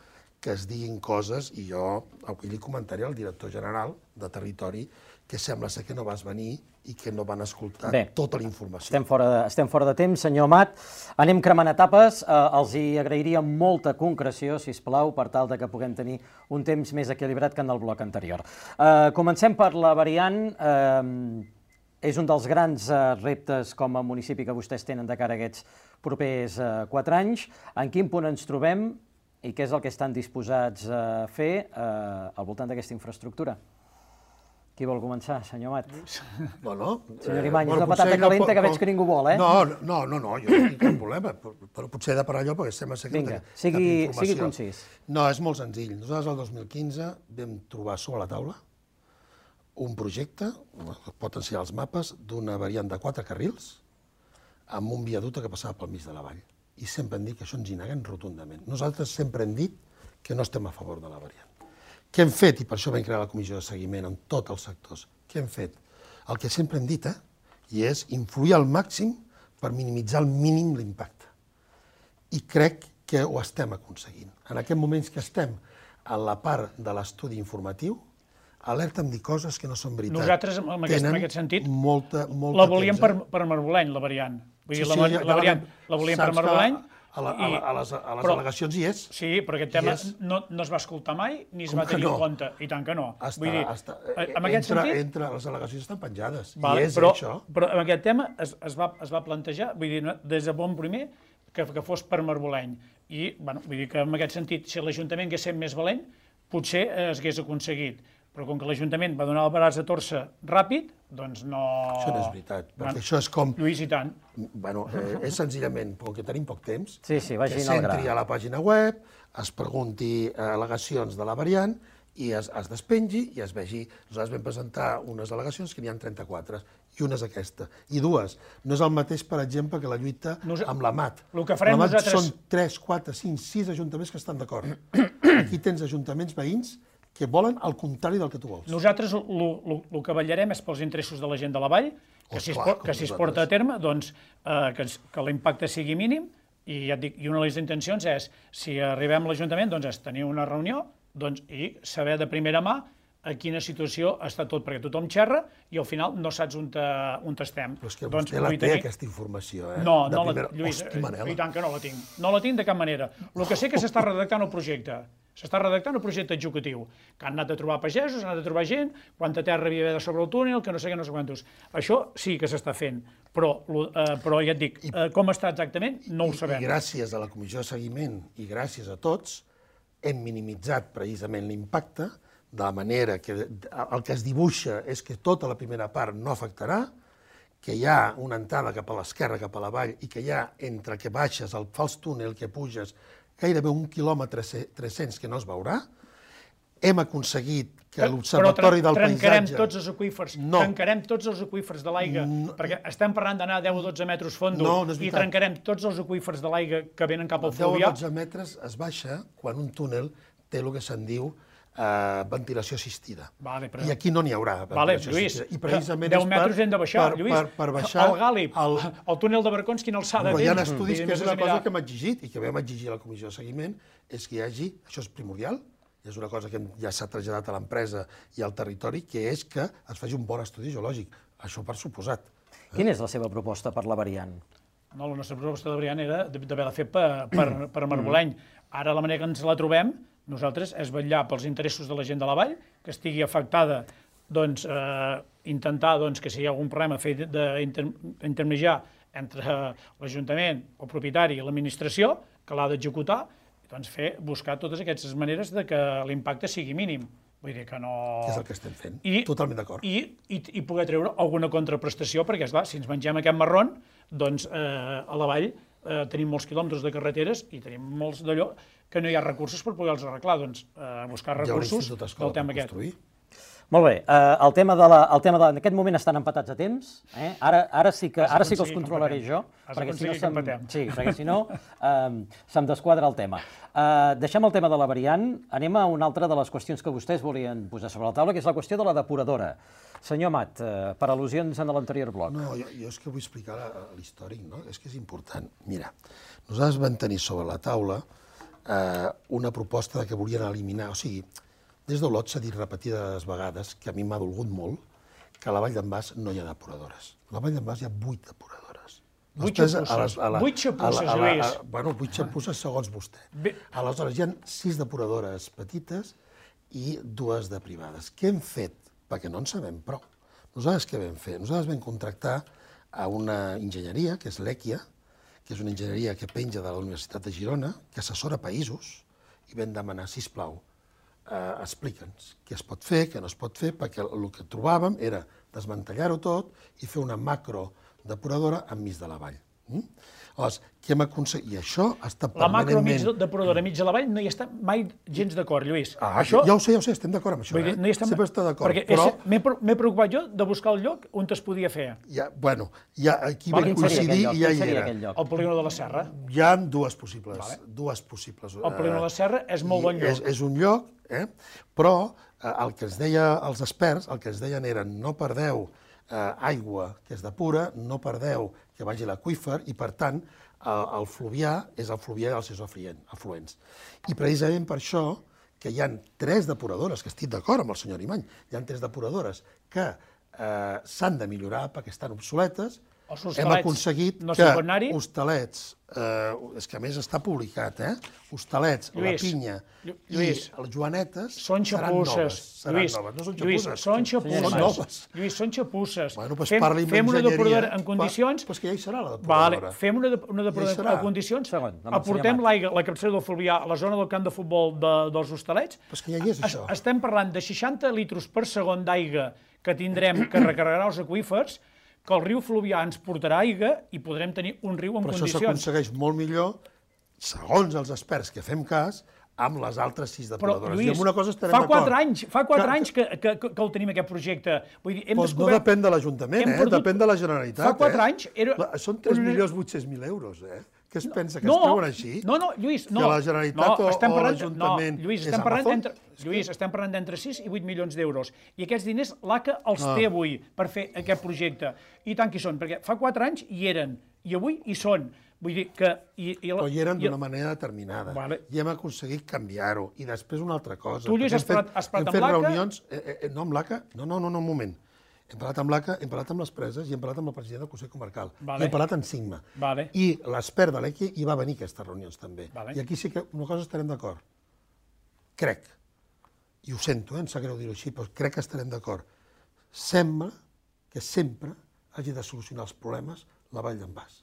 que es diguin coses, i jo avui li comentaré al director general de Territori que sembla ser que no vas venir i que no van escoltar Bé, tota la informació. Estem fora, de, estem fora de temps, senyor Amat. Anem cremant etapes. Eh, els hi agrairia molta concreció, si us plau, per tal de que puguem tenir un temps més equilibrat que en el bloc anterior. Eh, comencem per la variant. Eh, és un dels grans eh, reptes com a municipi que vostès tenen de cara a aquests propers eh, quatre anys. En quin punt ens trobem? I què és el que estan disposats a fer eh, al voltant d'aquesta infraestructura? Qui vol començar, senyor Amat? Bueno, senyor Imany, és una patata calenta que veig que ningú vol, eh? No, no, no, no jo no tinc cap problema, però potser he de parar allò perquè sembla ser que Vinga, sigui, sigui concís. No, és molt senzill. Nosaltres el dos mil quinze vam trobar sobre la taula un projecte, pot ensenyar els mapes, d'una variant de quatre carrils amb un viaducte que passava pel mig de la vall. I sempre hem dit que això ens hi neguem rotundament. Nosaltres sempre hem dit que no estem a favor de la variant. Què hem fet? I per això vam crear la comissió de seguiment en tots els sectors. Què hem fet? El que sempre hem dit, eh? I és influir al màxim per minimitzar al mínim l'impacte. I crec que ho estem aconseguint. En aquests moments que estem a la part de l'estudi informatiu, alerta'm dir coses que no són veritat. Nosaltres, en aquest, en aquest sentit, molta, molta la volíem per, per Marboleny, la variant. Vull dir, sí, sí, la, la, variant la volíem per Marboleny. A, la, a, la, a les, a les però, al·legacions hi és. Sí, però aquest tema no, no es va escoltar mai ni es Com va tenir no? en compte. I tant que no. Està, Vull dir, està, en aquest entre, sentit... entre les al·legacions estan penjades. Vale, I és però, això. Però en aquest tema es, es, va, es va plantejar, vull dir, des de bon primer, que, que fos per Marboleny. I, bueno, vull dir que en aquest sentit, si l'Ajuntament hagués set més valent, potser es hagués aconseguit. però com que l'Ajuntament va donar el braç a torça ràpid, doncs no... Això no és veritat, perquè això és com... Lluís, i tant. Bueno, eh, és senzillament, com que tenim poc temps, Sí, sí, vagin que al gra. s'entri a la pàgina web, es pregunti eh, al·legacions de la variant i es, es despengi i es vegi. Nosaltres vam presentar unes al·legacions que n'hi ha trenta-quatre, i una és aquesta. I dues. No és el mateix, per exemple, que la lluita Nos... amb la M A T. El que farem la M A T nosaltres... són tres, quatre, cinc, sis ajuntaments que estan d'acord. Aquí tens ajuntaments veïns que volen el contrari del que tu vols. Nosaltres el que vetllarem és pels interessos de la gent de la Vall, que Oh, si es, clar, que com si es nosaltres. porta a terme, doncs, eh, que, es- que l'impacte sigui mínim, i ja et dic, i una de les intencions és, si arribem a l'Ajuntament, doncs és tenir una reunió doncs, i saber de primera mà a quina situació està tot, perquè tothom xerra i al final no saps on, te, on estem. Però és que Doncs vostè la vull té, tenir- aquesta informació, eh? No, De no primera... la, Lluís, Hosti, Manela. i tant que no la tinc. No la tinc de cap manera. El que sé que s'està redactant el projecte. S'està redactant el projecte executiu, que han anat a trobar pagesos, han anat a trobar gent, quanta terra havia d'haver sobre el túnel, que no sé què, no sé quantos. Això sí que s'està fent, però, lo- eh, però ja et dic, eh, com està exactament, no ho sabem. I gràcies a la comissió de seguiment i gràcies a tots, hem minimitzat precisament l'impacte, de la manera que el que es dibuixa és que tota la primera part no afectarà, que hi ha una entrada cap a l'esquerra, cap a la vall, i que hi ha entre que baixes, el fals túnel que puges, gairebé un quilòmetre tres-cents que no es veurà. Hem aconseguit que l'Observatori del Però trencarem Paisatge... tots els aqüífers, No. trencarem tots els aqüífers de l'aigua, perquè estem parlant d'anar a deu o dotze metres fondo, No, no és i veritat. trencarem tots els aqüífers de l'aigua que venen cap al deu o fluvià. dotze metres es baixa quan un túnel té el que se'n diu eh, ventilació assistida. Vale, però- I aquí no n'hi haurà Vale, ventilació Lluís, assistida. I precisament deu és metres hem de baixar, per, Lluís. per, per baixar... El Gàlib, el, el túnel de Barcons, quina alçada Però té? hi ha estudis I que és després una cosa mirar- que hem exigit i que vam exigir a la comissió de seguiment, és que hi hagi, això és primordial, és una cosa que hem- ja s'ha traslladat a l'empresa i al territori, que és que es faci un bon estudi geològic. Això per suposat. Quina és la seva proposta per la variant? No, la nostra proposta de variant era d'haver-la fet per, per, per Marboleny. Ara la manera que ens la trobem, nosaltres, és vetllar pels interessos de la gent de la vall, que estigui afectada, doncs, eh, intentar doncs, que si hi ha algun problema fer d'intermediar entre l'Ajuntament, el propietari i l'administració, que l'ha d'executar, doncs fer, buscar totes aquestes maneres de que l'impacte sigui mínim. Vull dir que no... Que és el que estem fent. I, Totalment d'acord. I, i, I poder treure alguna contraprestació, perquè, esclar, si ens mengem aquest marron, doncs eh, a la vall eh, tenim molts quilòmetres de carreteres i tenim molts d'allò que no hi ha recursos per poder-los arreglar. Doncs eh, buscar Hi ha un recursos institut del escola per tema aquest. construir. Molt bé, eh, el tema de la, el tema de, en aquest moment estan empatats a temps, eh? ara, ara, sí que, Has ara sí que els d'aconseguir que controlaré empatem. jo, Has perquè si no, d'aconseguir que se'm, empatem. sí, perquè si no eh, se'm desquadra el tema. Eh, deixem el tema de la variant, anem a una altra de les qüestions que vostès volien posar sobre la taula, que és la qüestió de la depuradora. Senyor Amat, eh, per al·lusions en l'anterior bloc. No, jo, jo és que vull explicar la- l'històric, no? És que és important. Mira, nosaltres vam tenir sobre la taula eh, una proposta de que volien eliminar, o sigui, des d'Olot s'ha dit repetides vegades, que a mi m'ha dolgut molt, que a la Vall d'en Bas no hi ha depuradores. A la Vall d'en Bas hi ha vuit depuradores. Vuit Després, xapusses. a les- a la- Vuit xapusses, a la- a la- Lluís. a- Bueno, vuit xapusses segons vostè. Bé. Aleshores, hi ha sis depuradores petites i dues de privades. Què hem fet? Perquè no en sabem prou. Nosaltres què vam fer? Nosaltres vam contractar a una enginyeria, que és l'EQIA, que és una enginyeria que penja de la Universitat de Girona, que assessora països, i vam demanar, sisplau, eh, explica'ns què es pot fer, què no es pot fer, perquè el que trobàvem era desmantellar-ho tot i fer una macro depuradora enmig de la vall. Mm? Llavors, què hem aconseguit? I això està La macro mig permanentment... depuradora mig de la vall no hi està mai gens d'acord, Lluís. Ah, això... ja ho sé, ja ho sé, estem d'acord amb això. Vull dir, Eh? no hi estem... Sempre està d'acord, Perquè però... és- m'he pre- m'he preocupat jo de buscar el lloc on es podia fer. Ja, bueno, ja, aquí Vale, vam quin seria coincidir aquell lloc? i ja Quin hi seria era. aquell lloc? El polígon de la Serra. Hi ha dues possibles, Vale. dues possibles. El polígon de la Serra és molt I bon lloc. És, és un lloc, eh? Però eh, el que ens deia els experts, el que ens deien era no perdeu eh, aigua que es depura, no perdeu que vagi a l'aqüífer i, per tant, eh, el fluvià és el fluvià dels seus afluent- afluents. I precisament per això que hi ha tres depuradores, que estic d'acord amb el senyor Imany, hi ha tres depuradores que eh, s'han de millorar perquè estan obsoletes, hem aconseguit que Hostalets, és que a més està publicat, eh? Hostalets, la Pinya i les Joanetes seran noves. Lluís, no són Lluís, són xapusses. Lluís, són xapusses. Fem una depuradora en condicions... Però és que ja hi serà la depuradora. Fem una depuradora en condicions, aportem l'aigua, la capçalera del Fluvià, a la zona del camp de futbol dels Hostalets. Però és que ja hi és això. Estem parlant de seixanta litres per segon d'aigua que tindrem, que recarregarà els aqüífers, que el riu Fluvià ens portarà aigua i podrem tenir un riu en condicions. Però això s'aconsegueix molt millor, segons els experts que fem cas, amb les altres sis depuradores. Però, Lluís, fa quatre anys, fa quatre anys que el tenim, aquest projecte. Doncs no depèn de l'Ajuntament, eh? Depèn de la Generalitat. Fa quatre anys... Són tres milions vuit-cents mil euros, eh? Què es pensa, que es treuen així? No, no, Lluís, no. Que la Generalitat o l'Ajuntament és Amazon? Lluís, estem parlant d'entre sis i vuit milions d'euros. I aquests diners l'A C A els té avui per fer aquest projecte. I tant que hi són, perquè fa quatre anys hi eren, i avui hi són. Vull dir que... Però hi eren d'una manera determinada. I hem aconseguit canviar-ho. I després una altra cosa. Tu, Lluís, has parlat amb l'A C A? No, amb l'A C A? No, no, no, un moment. Hem parlat amb l'A C A, hem parlat amb les preses i hem parlat amb el president del Consell Comarcal. I hem parlat amb Sigma. I l'expert de l'E Q I hi va venir a aquestes reunions també. I aquí sí que una cosa estarem d'acord. Crec, i ho sento, em sap greu dir-ho així, però crec que estarem d'acord. Sembla que sempre hagi de solucionar els problemes la Vall d'en Bas.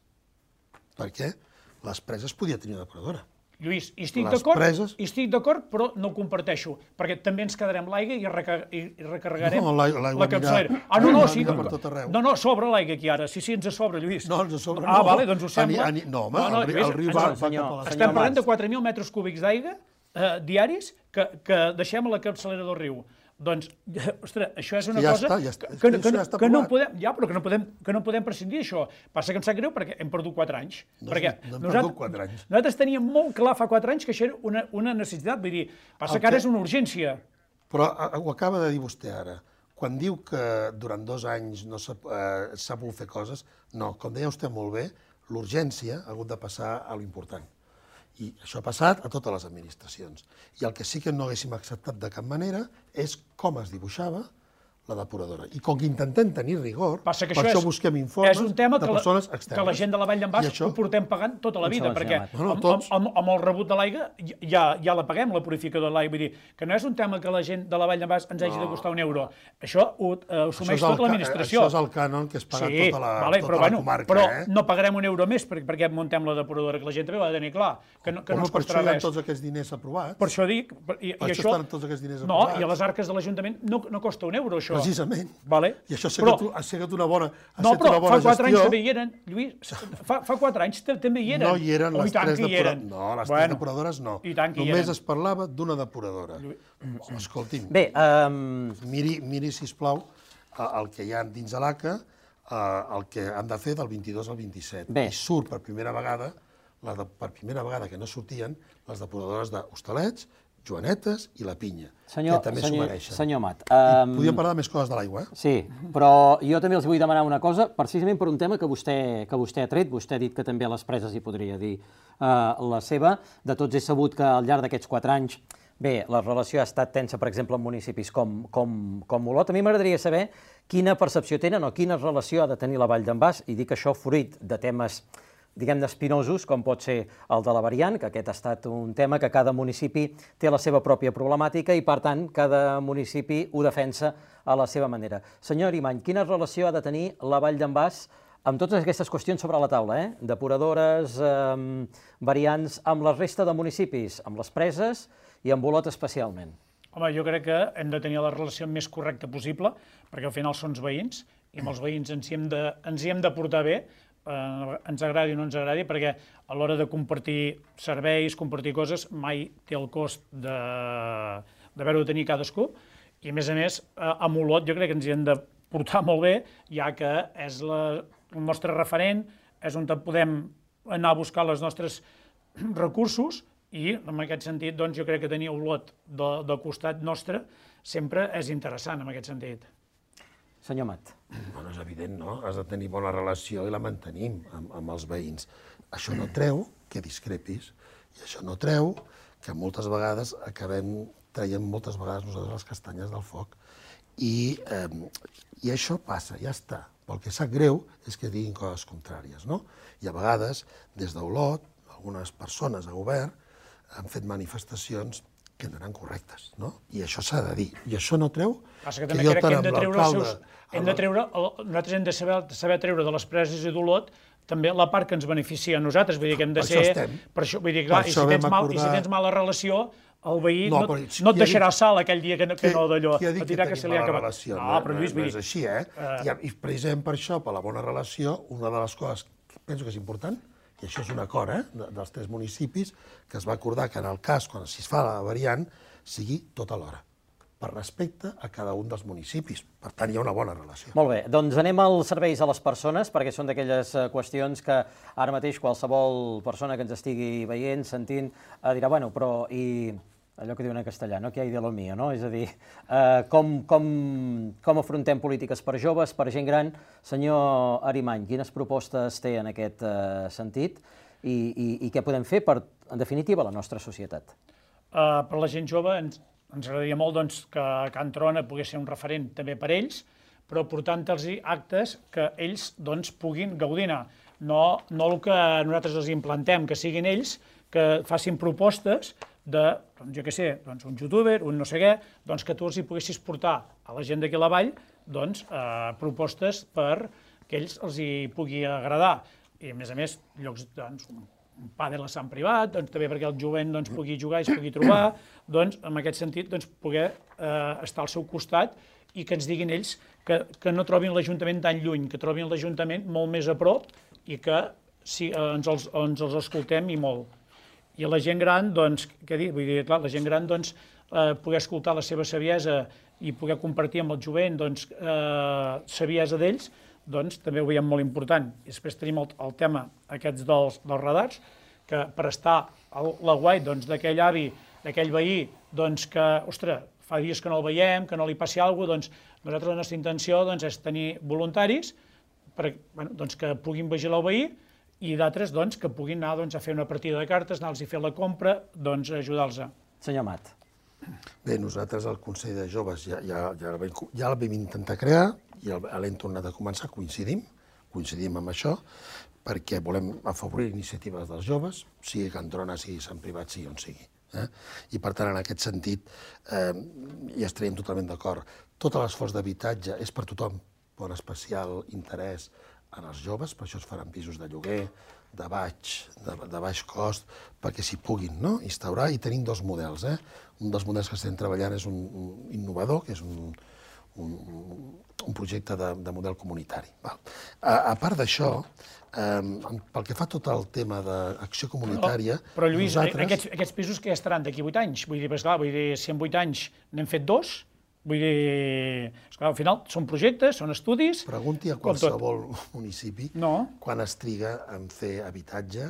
Perquè les preses podia tenir una depuradora. Lluís, hi estic d'acord, hi estic d'acord, però no ho comparteixo, perquè també ens quedarem l'aigua i recarregarem la capçalera. Ah, no, no, sí, no, no, sobra l'aigua aquí ara, sí, sí, ens sobra, Lluís. No, ens sobra, no. Ah, vale, doncs ho sembla. No, home, el riu va cap a la... Estem parlant de quatre mil metres cúbics d'aigua diaris que deixem a la capçalera del riu. Doncs, ostres, això és una cosa que no podem, ja, però que no podem prescindir d'això. Passa que em sap greu perquè hem perdut quatre anys. No hem perdut quatre anys. Nosaltres teníem molt clar fa quatre anys que això era una necessitat, vull dir, passa que ara és una urgència. Però ho acaba de dir vostè ara. Quan diu que durant dos anys no s'ha pogut fer coses, no, com deia vostè molt bé, l'urgència ha hagut de passar a l'important. I això ha passat a totes les administracions. I el que sí que no haguéssim acceptat de cap manera és com es dibuixava la depuradora. I com que intentem tenir rigor, per això busquem informes de persones externes. Que la gent de la Vall d'en Bas ho portem pagant tota la vida, perquè amb el rebut de l'aigua ja la paguem, la purificadora de l'aigua. Vull dir que no és un tema que la gent de la Vall d'en Bas ens hagi de costar un euro. Això ho assumeix tota l'administració. Això és el cànon que es paga tota la comarca. Però no pagarem un euro més perquè muntem la depuradora, que la gent també ho ha de tenir clar, que no ens costarà res. Per això hi ha tots aquests diners aprovats. Per això dic... Per això estan tots aquests diners aprovats. No, i a les arques de l'Ajuntament no costa un euro, això. Precisament. Vale. I això ha sigut una bona gestió. No, però fa quatre anys també hi eren, Lluís, fa quatre anys també hi eren. No hi eren les tres depuradores. No, les tres depuradores no. Només es parlava d'una depuradora. Escolti'm, miri, sisplau, el que hi ha dins de l'A C A, el que han de fer del vint-i-dos al vint-i-set. I surt per primera vegada, per primera vegada que no sortien, les depuradores d'Hostalets, Joanetes i la Pinya, que també s'ho mereixen. Senyor Amat... Podríem parlar de més coses de l'aigua, eh? Sí, però jo també els vull demanar una cosa, precisament per un tema que vostè ha tret, vostè ha dit que també a les preses hi podria dir la seva. De tots he sabut que al llarg d'aquests quatre anys, bé, la relació ha estat tensa, per exemple, en municipis com Olot. A mi m'agradaria saber quina percepció tenen o quina relació ha de tenir la Vall d'en Bas, i dic això fruit de temes diguem-ne, espinosos, com pot ser el de la variant, que aquest ha estat un tema que cada municipi té la seva pròpia problemàtica i, per tant, cada municipi ho defensa a la seva manera. Senyor Arimany, quina relació ha de tenir la Vall d'en Bas amb totes aquestes qüestions sobre la taula, eh? Depuradores, variants, amb la resta de municipis, amb les preses i amb Olot especialment? Home, jo crec que hem de tenir la relació més correcta possible, perquè al final són els veïns, i amb els veïns ens hi hem de portar bé, ens agradi o no ens agradi, perquè a l'hora de compartir serveis, compartir coses, mai té el cost d'haver-ho de tenir cadascú, i a més a més, amb Olot jo crec que ens hi hem de portar molt bé, ja que és el nostre referent, és on podem anar a buscar els nostres recursos, i en aquest sentit jo crec que tenir Olot del costat nostre sempre és interessant en aquest sentit. Senyor Amat. Bueno, és evident, no? Has de tenir bona relació i la mantenim amb els veïns. Això no treu que discrepis i això no treu que moltes vegades acabem traient moltes vegades nosaltres les castanyes del foc i això passa, ja està. Però el que sap greu és que diguin coses contràries, no? I a vegades, des d'Olot, algunes persones a govern han fet manifestacions que no eren correctes, no? I això s'ha de dir. I això no treu que també crec que hem de treure els seus... Hem de treure, nosaltres hem de saber, saber treure de les preses i d'Olot també la part que ens beneficia a nosaltres, vull dir que hem de ser... Per això vull dir, clar, i si tens, mal, i si tens mala relació, el veí no, no, no et deixarà sal aquell dia que no, que no d'allò. Qui ha dit que tenim mala relació? No, però Lluís, no és així, eh? I precisament per això, per la bona relació, una de les coses que penso que és important, i això és un acord eh, dels tres municipis, que es va acordar que en el cas, quan si es fa la variant, sigui tota l'hora, per respecte a cada un dels municipis. Per tant, hi ha una bona relació. Molt bé, doncs anem als serveis a les persones, perquè són d'aquelles qüestions que ara mateix qualsevol persona que ens estigui veient, sentint, dirà, bueno, però i allò que diuen en castellà, no? Que hi ha de lo mío, no? És a dir, eh, com, com, com afrontem polítiques per joves, per gent gran? Senyor Arimany, quines propostes té en aquest eh, sentit i, i, i què podem fer per, en definitiva, la nostra societat? Uh, per la gent jove ens, ens agradaria molt doncs, que Can Trona pogués ser un referent també per ells, però portant-los actes que ells doncs, puguin gaudir-ne. No, no el que nosaltres els implantem, que siguin ells, que facin propostes de, doncs, jo què sé, doncs, un youtuber, un no sé què, doncs, que tu els hi poguessis portar a la gent d'aquí a la vall doncs, eh, propostes per que ells els hi pugui agradar. I, a més a més, llocs, doncs, un pàdel a Sant Privat, doncs, també perquè el jovent doncs, pugui jugar i es pugui trobar, doncs, en aquest sentit, doncs, poder eh, estar al seu costat i que ens diguin ells que, que no trobin l'Ajuntament tan lluny, que trobin l'Ajuntament molt més a prop i que sí, eh, ens, els, ens els escoltem i molt. I a la gent gran, doncs, què dir? Vull dir, clar, la gent gran, doncs, eh, poder escoltar la seva saviesa i poder compartir amb el jovent, doncs, eh, saviesa d'ells, doncs, també ho veiem molt important. I després tenim el, el tema aquests dels, dels radars, que per estar a la guai, doncs, d'aquell avi, d'aquell veí, doncs, que, ostres, fa dies que no el veiem, que no li passi alguna cosa, doncs, nosaltres la nostra intenció, doncs, és tenir voluntaris per, bueno, doncs, que puguin vigilar el veí, i d'altres doncs, que puguin anar doncs, a fer una partida de cartes, anar-los a fer la compra, doncs ajudar-los. Senyor Amat. Bé, nosaltres al Consell de Joves ja, ja, ja, el, vam, ja el vam intentar crear i l'hem tornat a començar, coincidim, coincidim amb això, perquè volem afavorir iniciatives dels joves, sigui Can Trona, sigui Sant Privat, sigui on sigui. Eh? I per tant, en aquest sentit, eh, hi estaríem totalment d'acord. Tot l'esforç d'habitatge és per tothom, per especial interès en els joves, per això es faran pisos de lloguer, de baix, de, de baix cost, perquè s'hi puguin no? instaurar, i tenim dos models. Eh? Un dels models que estem treballant és un, un innovador, que és un, un, un projecte de, de model comunitari. Val. A, a part d'això, eh, pel que fa tot el tema d'acció comunitària... Però, però Lluís, nosaltres... aquests, aquests pisos que ja estaran d'aquí vuit anys? Vull dir, esclar, vull dir, si en vuit anys n'hem fet dos... Vull dir, esclar, al final són projectes, són estudis... Pregunti a qualsevol municipi no. quan es triga en fer habitatge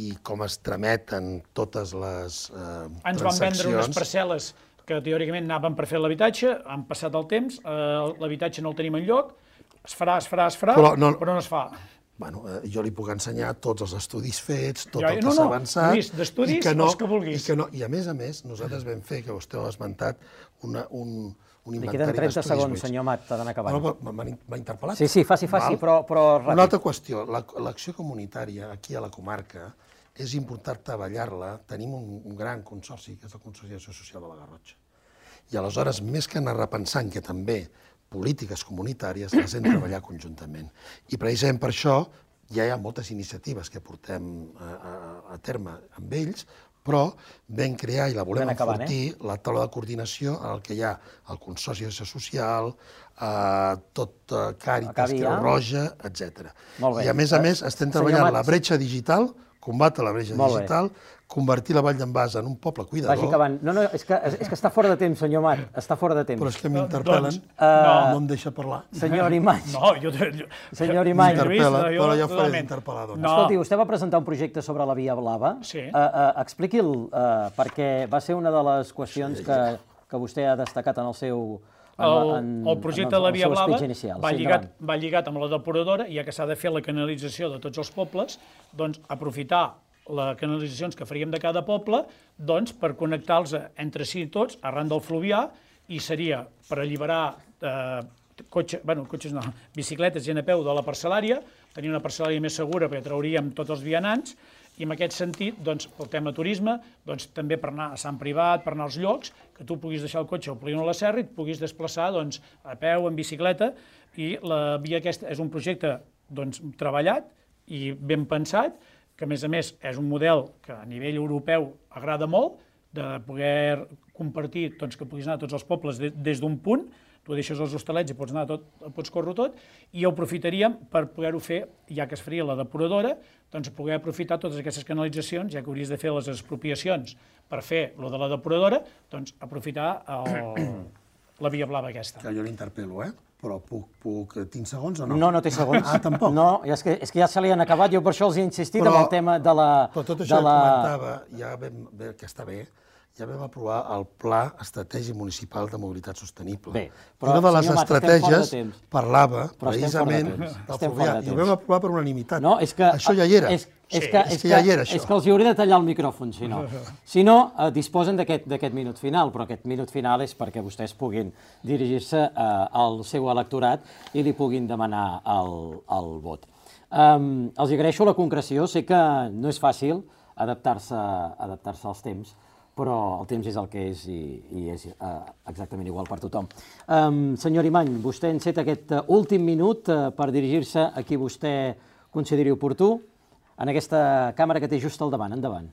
i com es trameten totes les eh, transaccions. Ens van vendre unes parcel·les que teòricament anaven per fer l'habitatge, han passat el temps, eh, l'habitatge no el tenim enlloc, es farà, es farà, es farà, però no, però no es fa. Bueno, eh, jo li puc ensenyar tots els estudis fets, tot ja, el que no, s'ha no, avançat... Lluís, d'estudis, no, els que vulguis. I, que no, I a més a més, nosaltres vam fer, que vostè ho ha esmentat, una, un, un inventari d'estudis. Li queden trenta segons, senyor Amat, d'anar acabant. No, m'ha interpel·lat. Sí, sí, faci, faci, però, però ràpid. Una altra qüestió, l'acció comunitària aquí a la comarca és important treballar-la. Tenim un, un gran consorci, que és el Consorci d'Acció Social de la Garrotxa. I aleshores, més que anar repensant que també polítiques comunitàries les hem de treballar conjuntament. I precisament per això ja hi ha moltes iniciatives que portem a, a, a terme amb ells, però vam crear i la volem acabant, enfortir, eh? la taula de coordinació en el que hi ha el Consorci d'Acció Social, eh, tot eh, Càritas, Creu Roja, etcètera. I a més a més estem treballant Mat... la bretxa digital, combatre la bretxa digital, convertir la Vall d'en Bas en un poble cuidador... Vagi acabant. No, no, és que, és que està fora de temps, senyor Mat, està fora de temps. Però és que m'interpel·len, doncs, no. no em deixa parlar. Senyor Arimany. No, jo... jo senyor Arimany. M'interpel·la, però jo faré d'interpel·lar. Doncs. No. Escolti, vostè va presentar un projecte sobre la Via Blava. Sí. Uh, uh, Expliqui'l, uh, perquè va ser una de les qüestions sí. que, que vostè ha destacat en el seu... En, el, en, el projecte de la Via Blava inicial. va, Sí, lligat, va lligat amb la depuradora, ja que s'ha de fer la canalització de tots els pobles, doncs aprofitar les canalitzacions que faríem de cada poble doncs, per connectar-los entre si tots arran del fluvià, i seria per alliberar eh, cotxe, bueno, cotxes no, bicicletes, gent a peu de la parcel·lària, tenir una parcel·lària més segura perquè trauríem tots els vianants, i en aquest sentit, doncs, pel tema turisme, doncs, també per anar a Sant Privat, per anar als llocs, que tu puguis deixar el cotxe al polígon de la Serra i et puguis desplaçar doncs, a peu, en bicicleta, i la via aquesta és un projecte doncs, treballat i ben pensat, que a més a més és un model que a nivell europeu agrada molt, de poder compartir, doncs, que puguis anar a tots els pobles de, des d'un punt, tu deixes els hostalets i pots anar tot, pots córrer tot, i ho aprofitaríem per poder-ho fer, ja que es faria la depuradora, doncs poder aprofitar totes aquestes canalitzacions, ja que hauries de fer les expropiacions per fer lo de la depuradora, doncs aprofitar el, la via blava aquesta. Que jo l'interpel·lo, eh? Però puc, puc... Tinc segons o no? No, no té segons. Ah, tampoc? No, és que, és que ja se li han acabat, jo per això els he insistit amb el tema de la... Però tot això que comentava, ja vam, que està bé, ja vam aprovar el Pla Estratègic Municipal de Mobilitat Sostenible. Bé, però, una de les senyor Mat, estratègies parlava però precisament del fluvià, i ho vam aprovar per unanimitat. No, és que, això ja hi era. És, és, que, és que ja hi era, això. És que els hi hauré de tallar el micròfon, si no. Si no, eh, disposen d'aquest minut final, però aquest minut final és perquè vostès puguin dirigir-se eh, al seu electorat i li puguin demanar el, el vot. Um, els agraeixo la concreció, sé que no és fàcil adaptar-se adaptar-se als temps, però el temps és el que és i, i és uh, exactament igual per tothom. Um, senyor Imany, vostè ha encet aquest uh, últim minut uh, per dirigir-se a qui vostè consideri oportú en aquesta càmera que té just al davant. Endavant.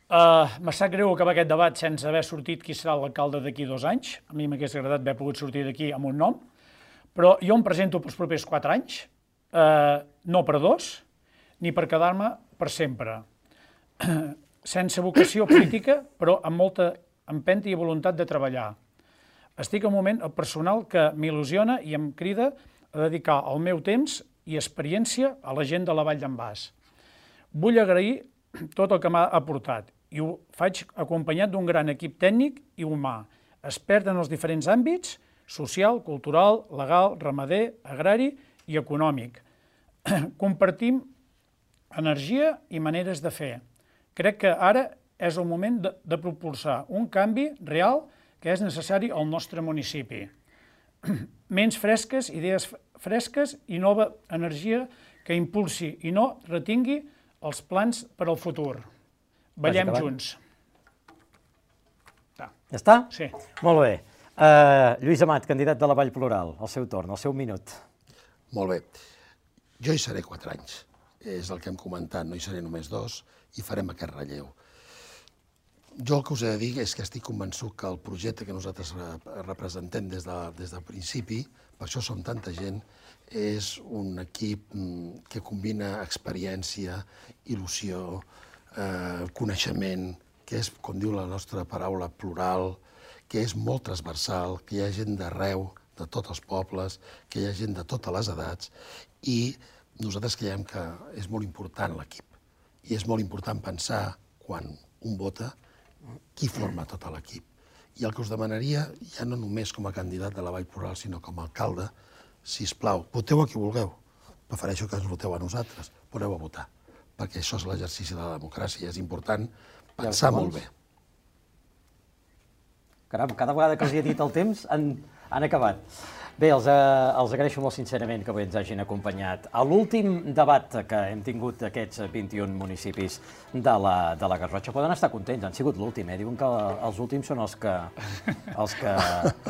Uh, me sap greu acabar aquest debat sense haver sortit qui serà l'alcalde d'aquí dos anys. A mi m'hagués agradat haver pogut sortir d'aquí amb un nom, però jo em presento pels propers quatre anys, uh, no per dos, ni per quedar-me per sempre. Sense vocació política, però amb molta empenta i voluntat de treballar. Estic en un moment personal que m'il·lusiona i em crida a dedicar el meu temps i experiència a la gent de la Vall d'en Bas. Vull agrair tot el que m'ha aportat i ho faig acompanyat d'un gran equip tècnic i humà, expert en els diferents àmbits, social, cultural, legal, ramader, agrari i econòmic. Compartim energia i maneres de fer. Crec que ara és el moment de, de propulsar un canvi real que és necessari al nostre municipi. Ments fresques, idees fresques i nova energia que impulsi i no retingui els plans per al futur. Ballem junts. Ja està? Sí. Molt bé. Uh, Lluís Amat, candidat de la Vall Plural, al seu torn, al seu minut. Molt bé. Jo hi seré quatre anys. És el que hem comentat, no hi seré només dos, i farem aquest relleu. Jo el que us he de dir és que estic convençut que el projecte que nosaltres representem des, de, des del principi, per això som tanta gent, és un equip que combina experiència, il·lusió, eh, coneixement, que és, com diu la nostra paraula, plural, que és molt transversal, que hi ha gent d'arreu, de tots els pobles, que hi ha gent de totes les edats, i nosaltres creiem que és molt important l'equip. I és molt important pensar, quan un vota, qui forma tot l'equip. I el que us demanaria, ja no només com a candidat de la Vall Plural, sinó com a alcalde, sisplau, voteu a qui vulgueu. Prefereixo que ens voteu a nosaltres, però aneu a votar, perquè això és l'exercici de la democràcia. És important pensar molt bé. Caram, cada vegada que els he dit el temps han, han acabat. Bé, els, eh, els agraeixo molt sincerament que avui ens hagin acompanyat a l'últim debat que hem tingut d'aquests vint-i-un municipis de la, de la Garrotxa. Poden estar contents, han sigut l'últim, eh? Diuen que els últims són els que, els que,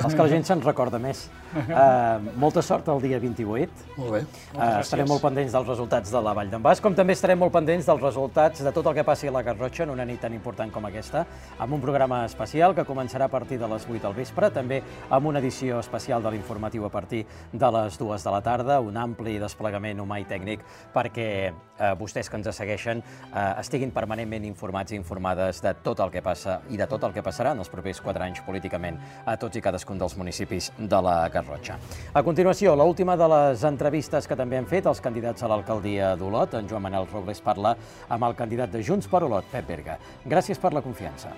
els que la gent se'n recorda més. Eh, molta sort el dia vint-i-vuit. Molt bé. Eh, estarem molt pendents dels resultats de la Vall d'en Bas, com també estarem molt pendents dels resultats de tot el que passi a la Garrotxa en una nit tan important com aquesta, amb un programa especial que començarà a partir de les vuit del vespre, també amb una edició especial de l'informatiu a partir de les dues de la tarda, un ampli desplegament humà i tècnic perquè eh, vostès que ens segueixen eh, estiguin permanentment informats i informades de tot el que passa i de tot el que passarà en els propers quatre anys políticament a tots i cadascun dels municipis de la Garrotxa. A continuació, l'última de les entrevistes que també hem fet als candidats a l'alcaldia d'Olot. En Joan Manel Robles parla amb el candidat de Junts per Olot, Pep Berga. Gràcies per la confiança.